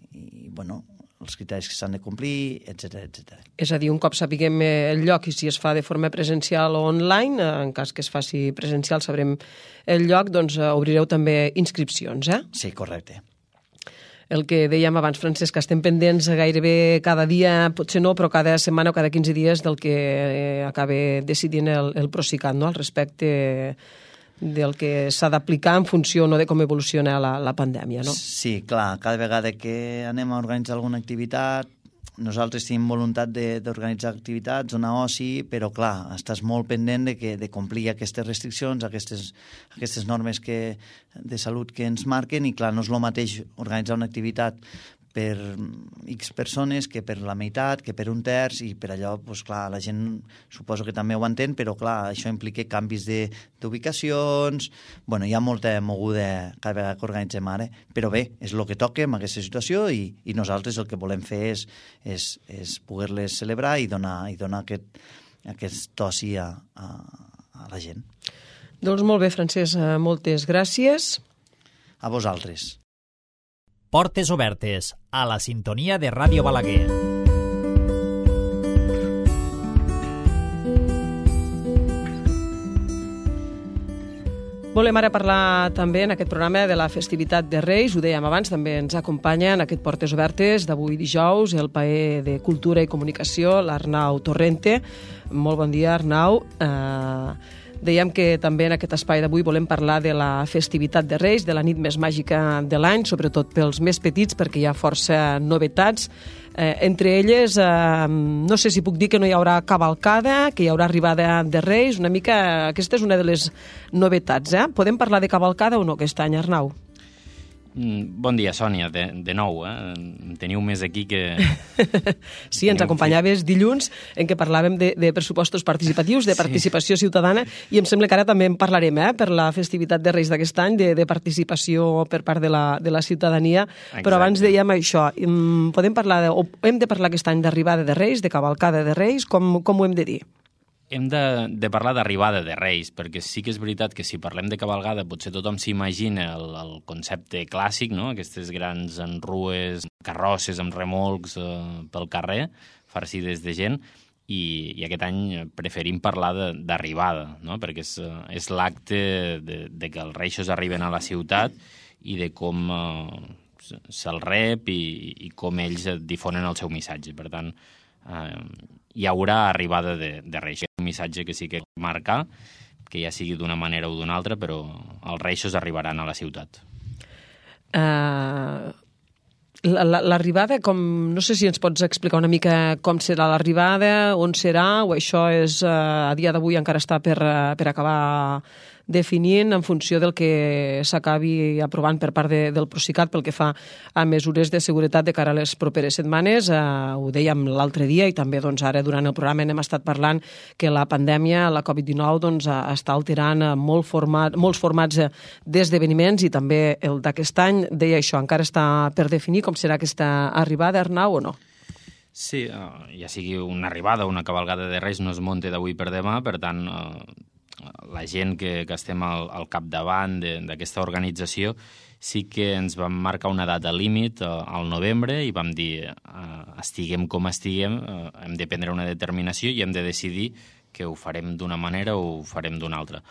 els criteris que s'han de complir, etc. És a dir, un cop sapiguem el lloc i si es fa de forma presencial o online, en cas que es faci presencial sabrem el lloc, doncs obrireu també inscripcions, eh? Sí, correcte. El que dèiem abans, Francesc, que estem pendents gairebé cada dia, potser no, però cada setmana o cada 15 dies del que acaba decidint el Procicat, no?, al respecte del que s'ha d'aplicar en funció de com evoluciona la pandèmia, no? Sí, clar, cada vegada que anem a organitzar alguna activitat, nosaltres tenim voluntat d'organitzar activitats, donar oci, però clar, estàs molt pendent de complir aquestes restriccions, aquestes normes de salut que ens marquen, i clar, no és el mateix organitzar una activitat per X persones que per la meitat, que per un terç, i per allò, doncs clar, la gent suposo que també ho entén, però clar, això implica canvis d'ubicacions, hi ha molta moguda cada vegada que organitzem ara, però bé, és el que toca en aquesta situació, i nosaltres el que volem fer és poder-les celebrar i donar aquest oci a la gent. Doncs molt bé, Francesc, moltes gràcies. A vosaltres. Portes obertes, a la sintonia de Ràdio Balaguer. Volem ara parlar també en aquest programa de la festivitat de Reis. Ho dèiem abans, també ens acompanya en aquest Portes Obertes d'avui dijous el paer de Cultura i Comunicació, l'Arnau Torrente. Molt bon dia, Arnau. Dèiem que també en aquest espai d'avui volem parlar de la festivitat de Reis, de la nit més màgica de l'any, sobretot pels més petits, perquè hi ha força novetats. Entre elles, no sé si puc dir que no hi haurà cavalcada, que hi haurà arribada de Reis, una mica, aquesta és una de les novetats, eh? Podem parlar de cavalcada o no aquest any, Arnau? Bon dia, Sònia, de nou. Em teniu més aquí que... Sí, ens acompanyaves dilluns en què parlàvem de pressupostos participatius, de participació ciutadana, i em sembla que ara també en parlarem, per la festivitat de Reis d'aquest any, de participació per part de la ciutadania. Exacte. Però abans dèiem això, podem parlar, o hem de parlar aquest any d'arribada de Reis, de cavalcada de Reis, com ho hem de dir? Hem de parlar d'arribada de Reis, perquè sí que és veritat que si parlem de cavalgada potser tothom s'imagina el concepte clàssic, no? Aquestes grans enrues, carrosses amb remolcs pel carrer, farcides de gent, i aquest any preferim parlar d'arribada, no? Perquè és l'acte de que els reixos arriben a la ciutat i de com se'l rep i com ells difonen el seu missatge. Per tant, hi haurà arribada de Reis. Un missatge que sí que marca, que ja sigui d'una manera o d'una altra, però els reixos arribaran a la ciutat. L'arribada, no sé si ens pots explicar una mica com serà l'arribada, on serà, o això és a dia d'avui encara està per acabar definint en funció del que s'acabi aprovant per part del Procicat pel que fa a mesures de seguretat de cara a les properes setmanes. Ho dèiem l'altre dia i també ara durant el programa n'hem estat parlant que la pandèmia, la Covid-19, està alterant molts formats d'esdeveniments i també el d'aquest any. Deia això, encara està per definir com serà aquesta arribada, Arnau, o no? Sí, ja sigui una arribada o una cavalgada de Reis no es munta d'avui per demà, per tant, la gent que estem al capdavant d'aquesta organització sí que ens vam marcar una data límit al novembre i vam dir, estiguem com estiguem, hem de prendre una determinació i hem de decidir que ho farem d'una manera o ho farem d'una altra.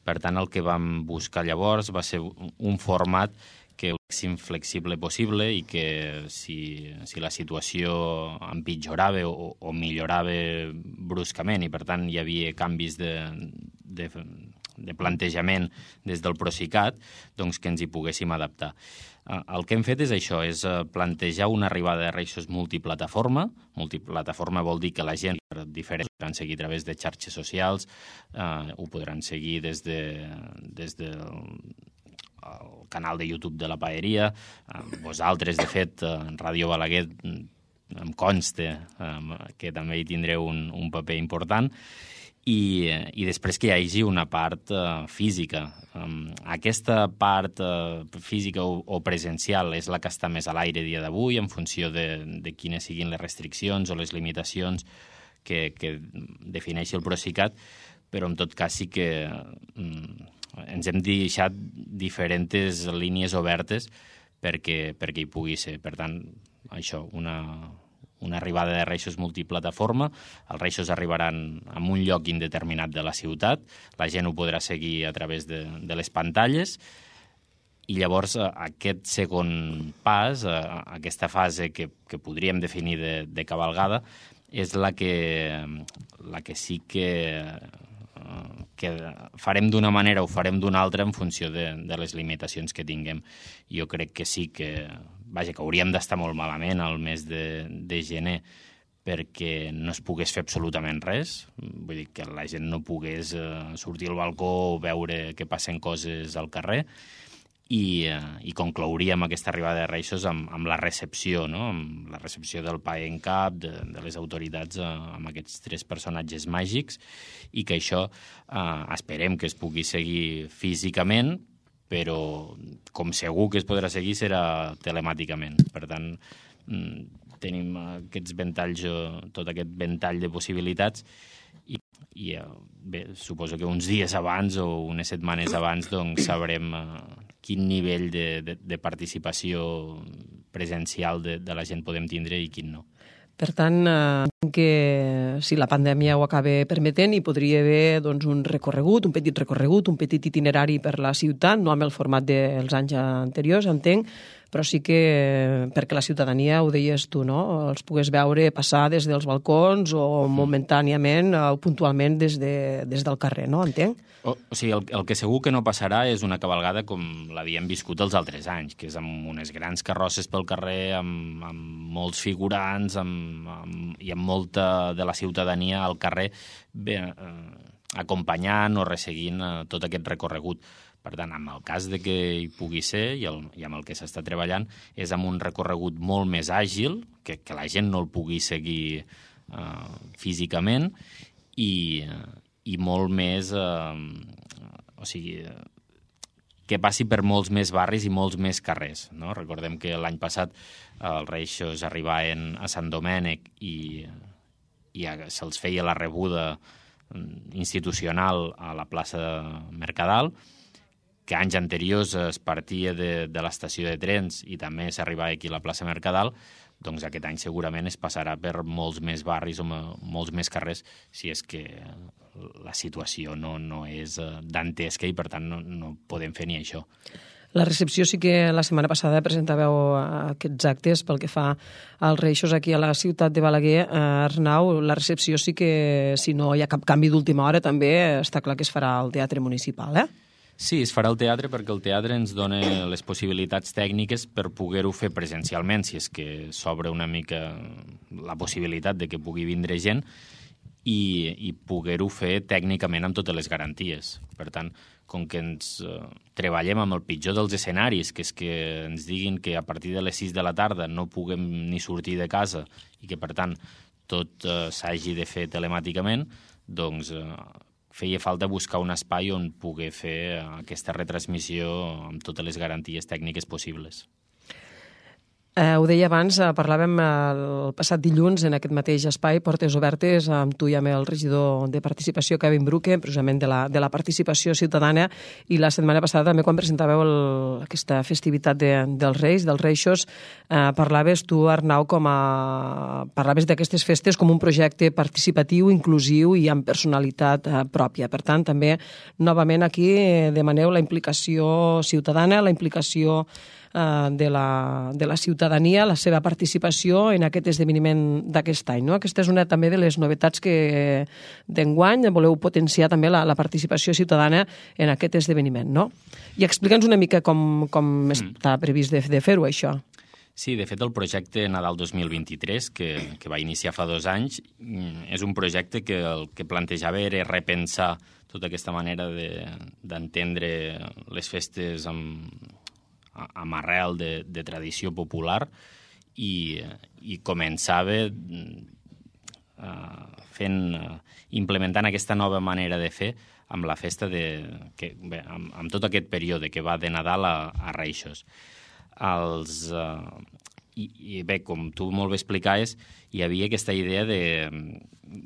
Per tant, el que vam buscar llavors va ser un format que fos flexible possible i que si la situació empitjorava o millorava bruscament i, per tant, hi havia canvis de plantejament des del Procicat, doncs que ens hi poguéssim adaptar. El que hem fet és això, és plantejar una arribada de Reixos multiplataforma. Multiplataforma vol dir que la gent diferent podran seguir a través de xarxes socials, ho podran seguir des del canal de YouTube de la Paeria. Vosaltres, de fet, en Ràdio Balaguer em consta que també hi tindreu un paper important. I després que hi hagi una part física. Aquesta part física o presencial és la que està més a l'aire dia d'avui, en funció de quines siguin les restriccions o les limitacions que defineixi el Procicat, però en tot cas sí que ens hem deixat diferents línies obertes perquè hi pugui ser. Per tant, això, una arribada de Reixos multiplataforma. Els Reixos arribaran a un lloc indeterminat de la ciutat, la gent ho podrà seguir a través de les pantalles, i llavors aquest segon pas, aquesta fase que podríem definir de cavalgada, és la que sí que farem d'una manera o farem d'una altra en funció de les limitacions que tinguem. Jo crec que sí que hauríem d'estar molt malament al mes de gener perquè no es pogués fer absolutament res. Vull dir que la gent no pogués sortir al balcó o veure que passen coses al carrer. I conclouríem aquesta arribada de Reixos amb la recepció, no? Amb la recepció del pae en cap, de les autoritats amb aquests 3 personatges màgics, i que això esperem que es pugui seguir físicament, però com segur que es podrà seguir serà telemàticament. Per tant, tenim aquests ventalls, tot aquest ventall de possibilitats, i bé, suposo que uns dies abans o unes setmanes abans doncs sabrem quin nivell de participació presencial de la gent podem tindre i quin no. Per tant, que si la pandèmia ho acaba permetent, hi podria haver doncs, un petit recorregut, un petit itinerari per la ciutat, no amb el format dels anys anteriors, entenc, però sí que perquè la ciutadania, ho deies tu, no? Els pogués veure passar des dels balcons o momentàniament o puntualment des del carrer, no? Entenc? O sigui, el que segur que no passarà és una cavalgada com l'havíem viscut els altres anys, que és amb unes grans carrosses pel carrer, amb molts figurants i amb molta de la ciutadania al carrer acompanyant o resseguint tot aquest recorregut. Per tant, en el cas de que hi pugui ser, i amb el que s'està treballant, és amb un recorregut molt més àgil, que la gent no el pugui seguir físicament, i molt més... o sigui, que passi per molts més barris i molts més carrers, no? Recordem que l'any passat els Reixos arribaven a Sant Domènec i se'ls feia la rebuda institucional a la plaça Mercadal, que anys anteriors es partia de l'estació de trens i també s'arribava aquí a la plaça Mercadal, doncs aquest any segurament es passarà per molts més barris o molts més carrers, si és que la situació no és dantesca i per tant no podem fer ni això. La recepció sí que la setmana passada presentàveu aquests actes pel que fa als Reixos aquí a la ciutat de Balaguer. Arnau, la recepció sí que, si no hi ha cap canvi d'última hora, també està clar que es farà al Teatre Municipal, eh? Sí, es farà al teatre perquè el teatre ens dona les possibilitats tècniques per poder-ho fer presencialment, si és que s'obre una mica la possibilitat de que pugui vindre gent i poder-ho fer tècnicament amb totes les garanties. Per tant, com que ens treballem amb el pitjor dels escenaris, que és que ens diguin que a partir de les 6 de la tarda no puguem ni sortir de casa i que, per tant, tot s'hagi de fer telemàticament, doncs feia falta buscar un espai on poder fer aquesta retransmissió amb totes les garanties tècniques possibles. Ho deia abans, parlàvem el passat dilluns en aquest mateix espai, Portes Obertes, amb tu i amb el regidor de Participació, Kevin Bruque, precisament de la participació ciutadana, i la setmana passada també quan presentàveu aquesta festivitat dels Reis, dels Reixos, parlaves tu, Arnau, parlaves d'aquestes festes com un projecte participatiu, inclusiu i amb personalitat pròpia. Per tant, també, novament aquí, demaneu la implicació ciutadana, la implicació de la ciutadania, la seva participació en aquest esdeveniment d'aquest any. No? Aquesta és una també de les novetats que d'enguany voleu potenciar també la participació ciutadana en aquest esdeveniment. No? I explica'ns una mica com està previst de fer-ho, això. Sí, de fet, el projecte Nadal 2023, que va iniciar fa 2 anys, és un projecte que el que plantejava era repensar tota aquesta manera d'entendre les festes amb arrel de tradició popular i començava implementant aquesta nova manera de fer amb la festa amb tot aquest període que va de Nadal a Reixos. I bé, com tu molt bé explicaves, hi havia aquesta idea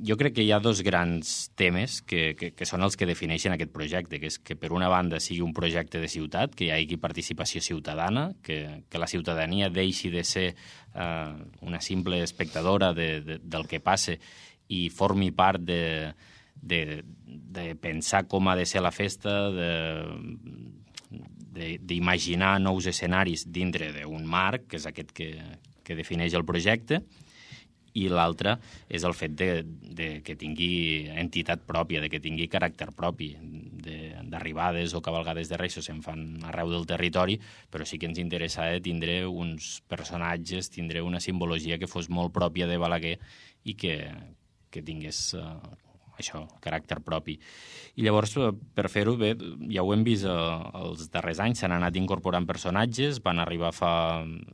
jo crec que hi ha 2 grans temes que són els que defineixen aquest projecte, que és que per una banda sigui un projecte de ciutat, que hi hagi participació ciutadana, que la ciutadania deixi de ser una simple espectadora del que passa i formi part de pensar com ha de ser la festa, d'imaginar nous escenaris dintre d'un marc, que és aquest que defineix el projecte, i l'altre és el fet que tingui entitat pròpia, que tingui caràcter propi. D'arribades o cavalgades de Reis se'n fan arreu del territori, però sí que ens interessava tindre uns personatges, tindre una simbologia que fos molt pròpia de Balaguer i que tingués això, caràcter propi. I llavors, per fer-ho bé, ja ho hem vist els darrers anys, s'han anat incorporant personatges, van arribar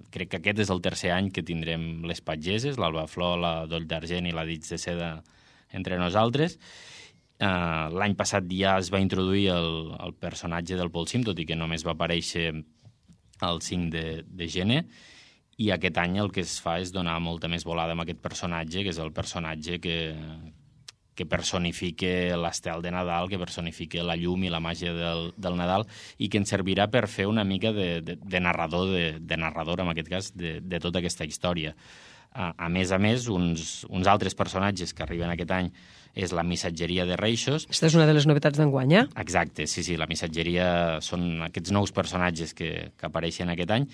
crec que aquest és el 3è any que tindrem les patgeses, l'Alba Flor, la Doll d'Argent i la Dits de Seda entre nosaltres. L'any passat ja es va introduir el personatge del Polsim, tot i que només va aparèixer el 5 de gener, i aquest any el que es fa és donar molta més volada amb aquest personatge, que és el personatge que personifique l'estel de Nadal, que personifique la llum i la màgia del Nadal i que ens servirà per fer una mica de narrador, de narrador, en aquest cas, de tota aquesta història. A més, uns altres personatges que arriben aquest any és la missatgeria de Reixos. Aquesta és una de les novetats d'enguany, eh? Exacte, sí, la missatgeria són aquests nous personatges que apareixen aquest any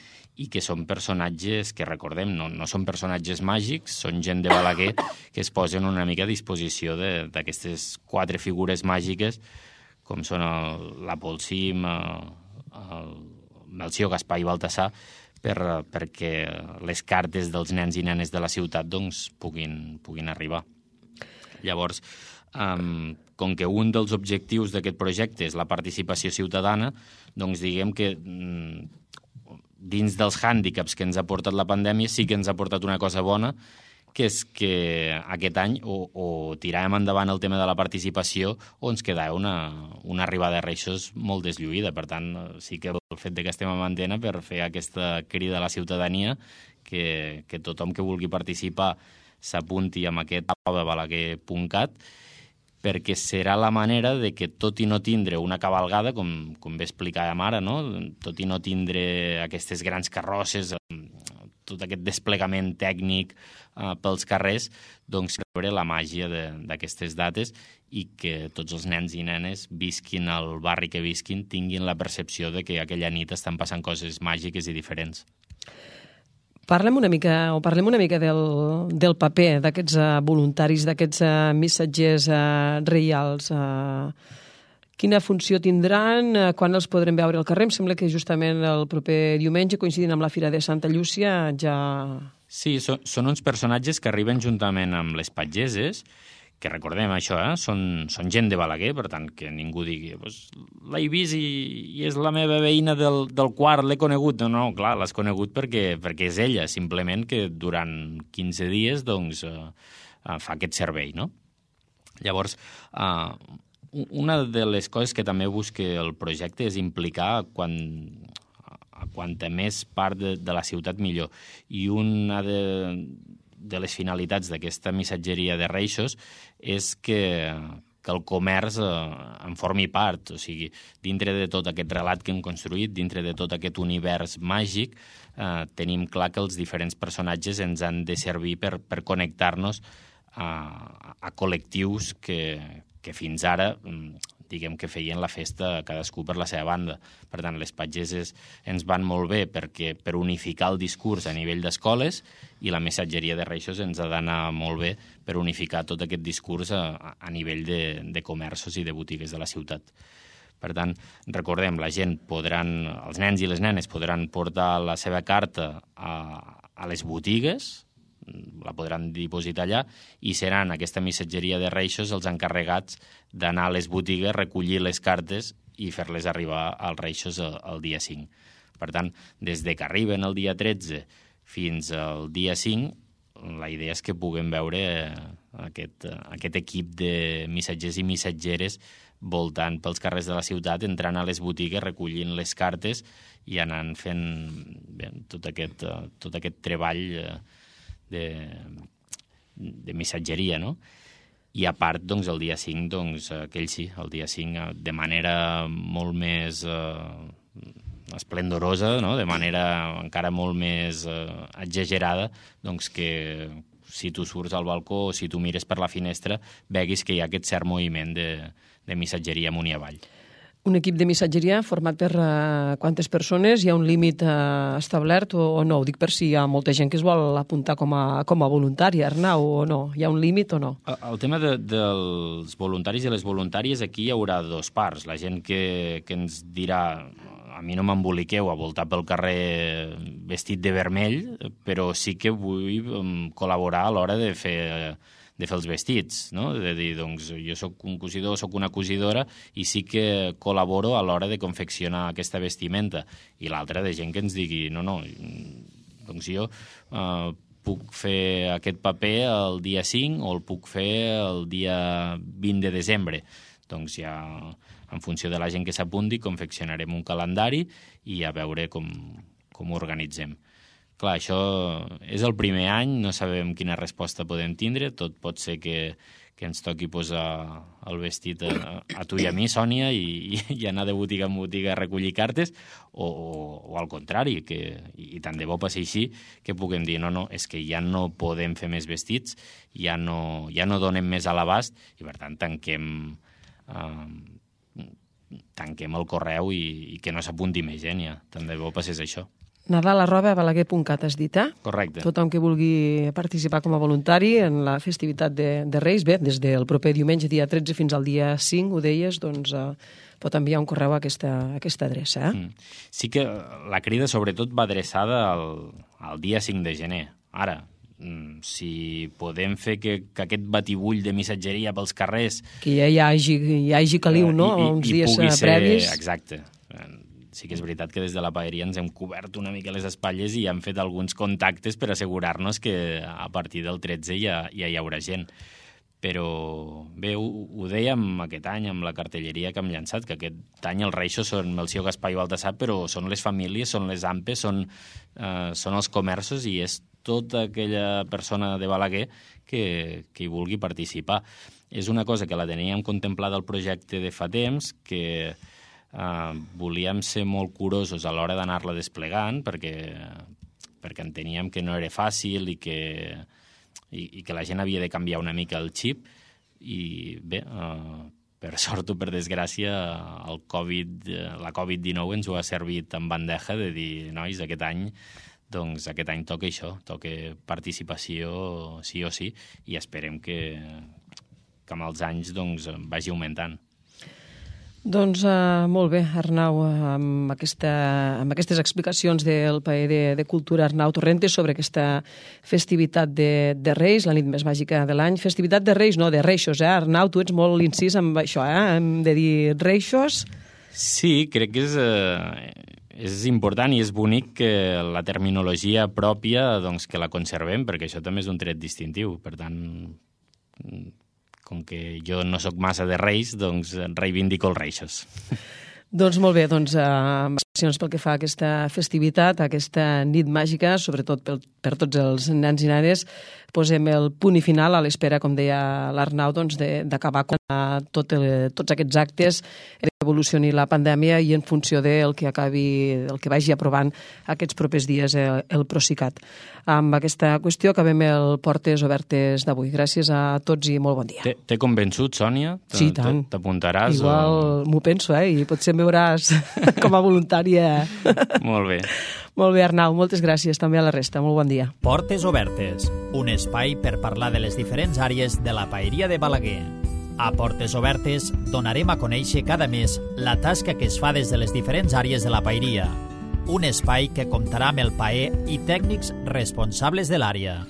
i que són personatges que, recordem, no són personatges màgics, són gent de Balaguer que es posen una mica a disposició d'aquestes 4 figures màgiques com són la Polsim, el Melcior, Gaspar i Baltasar, perquè les cartes dels nens i nenes de la ciutat doncs, puguin arribar. Llavors, com que un dels objectius d'aquest projecte és la participació ciutadana, doncs diguem que dins dels hàndicaps que ens ha portat la pandèmia sí que ens ha portat una cosa bona, que és que aquest any o tiràvem endavant el tema de la participació o ens quedava una arribada de Reixos molt deslluïda. Per tant, sí que el fet que estem en antena per fer aquesta crida a la ciutadania, que tothom que vulgui participar s'apunti amb aquest balaguer.cat, perquè serà la manera de que, tot i no tindre una cavalgada, com bé explicàvem ara, no? Tot i no tindre aquestes grans carrosses, tot aquest desplegament tècnic pels carrers, doncs veure la màgia d'aquestes dates i que tots els nens i nenes, visquin al barri que visquin, tinguin la percepció de que aquella nit estan passant coses màgiques i diferents. Parlem una mica del paper d'aquests voluntaris, d'aquests missatgers reials. Quina funció tindran? Quan els podrem veure al carrer? Em sembla que justament el proper diumenge, coincidint amb la Fira de Santa Llúcia, ja... Sí, són uns personatges que arriben juntament amb les patgeses, que recordem això, són gent de Balaguer, per tant, que ningú digui l'he vist i és la meva veïna del quart, l'he conegut. No, clar, l'has conegut perquè és ella, simplement que durant 15 dies doncs, fa aquest servei, no? Llavors, una de les coses que també busca el projecte és implicar a quanta més part de la ciutat millor. I una de les finalitats d'aquesta missatgeria de Reixos és que el comerç en formi part, o sigui, dintre de tot aquest relat que hem construït, dintre de tot aquest univers màgic, tenim clar que els diferents personatges ens han de servir per connectar-nos a col·lectius que fins ara, diguem que feien la festa cadascú per la seva banda. Per tant, les pageses ens van molt bé per unificar el discurs a nivell d'escoles i la missatgeria de Reixos ens ha d'anar molt bé per unificar tot aquest discurs a nivell de comerços i de botigues de la ciutat. Per tant, recordem, els nens i les nenes podran portar la seva carta a les botigues, la podran dipositar allà, i seran aquesta missatgeria de Reixos els encarregats d'anar a les botigues, recollir les cartes i fer-les arribar als Reixos el dia 5. Per tant, des que arriben el dia 13 fins al dia 5, la idea és que puguem veure aquest equip de missatgers i missatgeres voltant pels carrers de la ciutat, entrant a les botigues, recollint les cartes i anant fent tot aquest treball de missatgeria, no? I a part, doncs, el dia 5, doncs, el dia 5, de manera molt més esplendorosa, no? De manera encara molt més exagerada, doncs que si tu surts al balcó o si tu mires per la finestra, veguis que hi ha aquest cert moviment de missatgeria amunt i avall. Un equip de missatgeria format per quantes persones? Hi ha un límit establert o no? Ho dic per si hi ha molta gent que es vol apuntar com a voluntari, Arnau, o no? Hi ha un límit o no? El tema dels voluntaris i les voluntàries, aquí hi haurà dos parts. La gent que ens dirà a mi no m'emboliqueu a voltar pel carrer vestit de vermell, però sí que vull col·laborar a l'hora de fer els vestits, no? De dir, doncs, jo soc un cosidor, soc una cosidora i sí que col·laboro a l'hora de confeccionar aquesta vestimenta. I l'altra de gent que ens digui, no, doncs jo puc fer aquest paper el dia 5 o el puc fer el dia 20 de desembre. Doncs ja, en funció de la gent que s'apunti, confeccionarem un calendari i a veure com ho organitzem. Clar, això és el primer any, no sabem quina resposta podem tindre, tot pot ser que ens toqui posar el vestit a tu i a mi, Sònia, i anar de botiga en botiga a recollir cartes, o al contrari, i tant de bo passi així, que puguem dir, no, és que ja no podem fer més vestits, ja no donem més a l'abast, i per tant tanquem el correu i que no s'apunti més gent, ja. Tant de bo passés això. Nadal@balaguer.cat has dit, eh? Correcte. Tothom que vulgui participar com a voluntari en la festivitat de Reis, bé, des del proper diumenge, dia 13 fins al dia 5, ho deies, doncs pot enviar un correu a aquesta adreça, eh? Sí que la crida sobretot va adreçada al dia 5 de gener. Ara, si podem fer que aquest batibull de missatgeria pels carrers... Que ja hi hagi caliu, no? Uns dies previs. Exacte. Sí que és veritat que des de la paeria ens hem cobert una mica les espatlles i hem fet alguns contactes per assegurar-nos que a partir del 13 ja hi haurà gent. Però bé, ho dèiem aquest any amb la cartelleria que hem llançat, que aquest any els Reixos són Melcior, Gaspar i Baltasar, però són les famílies, són les AMPes, són els comerços i és tota aquella persona de Balaguer que hi vulgui participar. És una cosa que la teníem contemplada al projecte de fa temps, que volíem ser molt curosos a l'hora d'anar-la desplegant perquè enteníem que no era fàcil i que la gent havia de canviar una mica el xip i bé, per sort o per desgràcia la Covid-19 ens ho ha servit en bandeja de dir, nois, aquest any toca això, toca participació sí o sí i esperem que amb els anys vagi augmentant. Doncs molt bé, Arnau, amb aquestes explicacions del paller de Cultura Arnau Torrentes sobre aquesta festivitat de Reis, la nit més màgica de l'any. Festivitat de Reis, no, de Reixos, eh? Arnau, tu ets molt incís amb això, hem de dir Reixos. Sí, crec que és important i és bonic que la terminologia pròpia que la conservem, perquè això també és un tret distintiu. Per tant, com que jo no sóc massa de Reis, doncs reivindico els Reixos. Doncs molt bé, amb accions pel que fa a aquesta festivitat, a aquesta nit màgica, sobretot per tots els nens i nenes, posem el punt i final a l'espera, com deia l'Arnau, d'acabar tots aquests actes, evolucioni la pandèmia i en funció del que vagi aprovant aquests propers dies el Procicat. Amb aquesta qüestió acabem el Portes Obertes d'avui. Gràcies a tots i molt bon dia. T'he convençut, Sònia? Sí, tant. T'apuntaràs? Igual m'ho penso, i potser em veuràs com a voluntària. Molt bé. Molt bé, Arnau, moltes gràcies també a la resta. Molt bon dia. Portes Obertes, un espai per parlar de les diferents àrees de la paeria de Balaguer. A Portes Obertes donarem a conèixer cada mes la tasca que es fa des de les diferents àrees de la paeria. Un espai que comptarà amb el paer i tècnics responsables de l'àrea.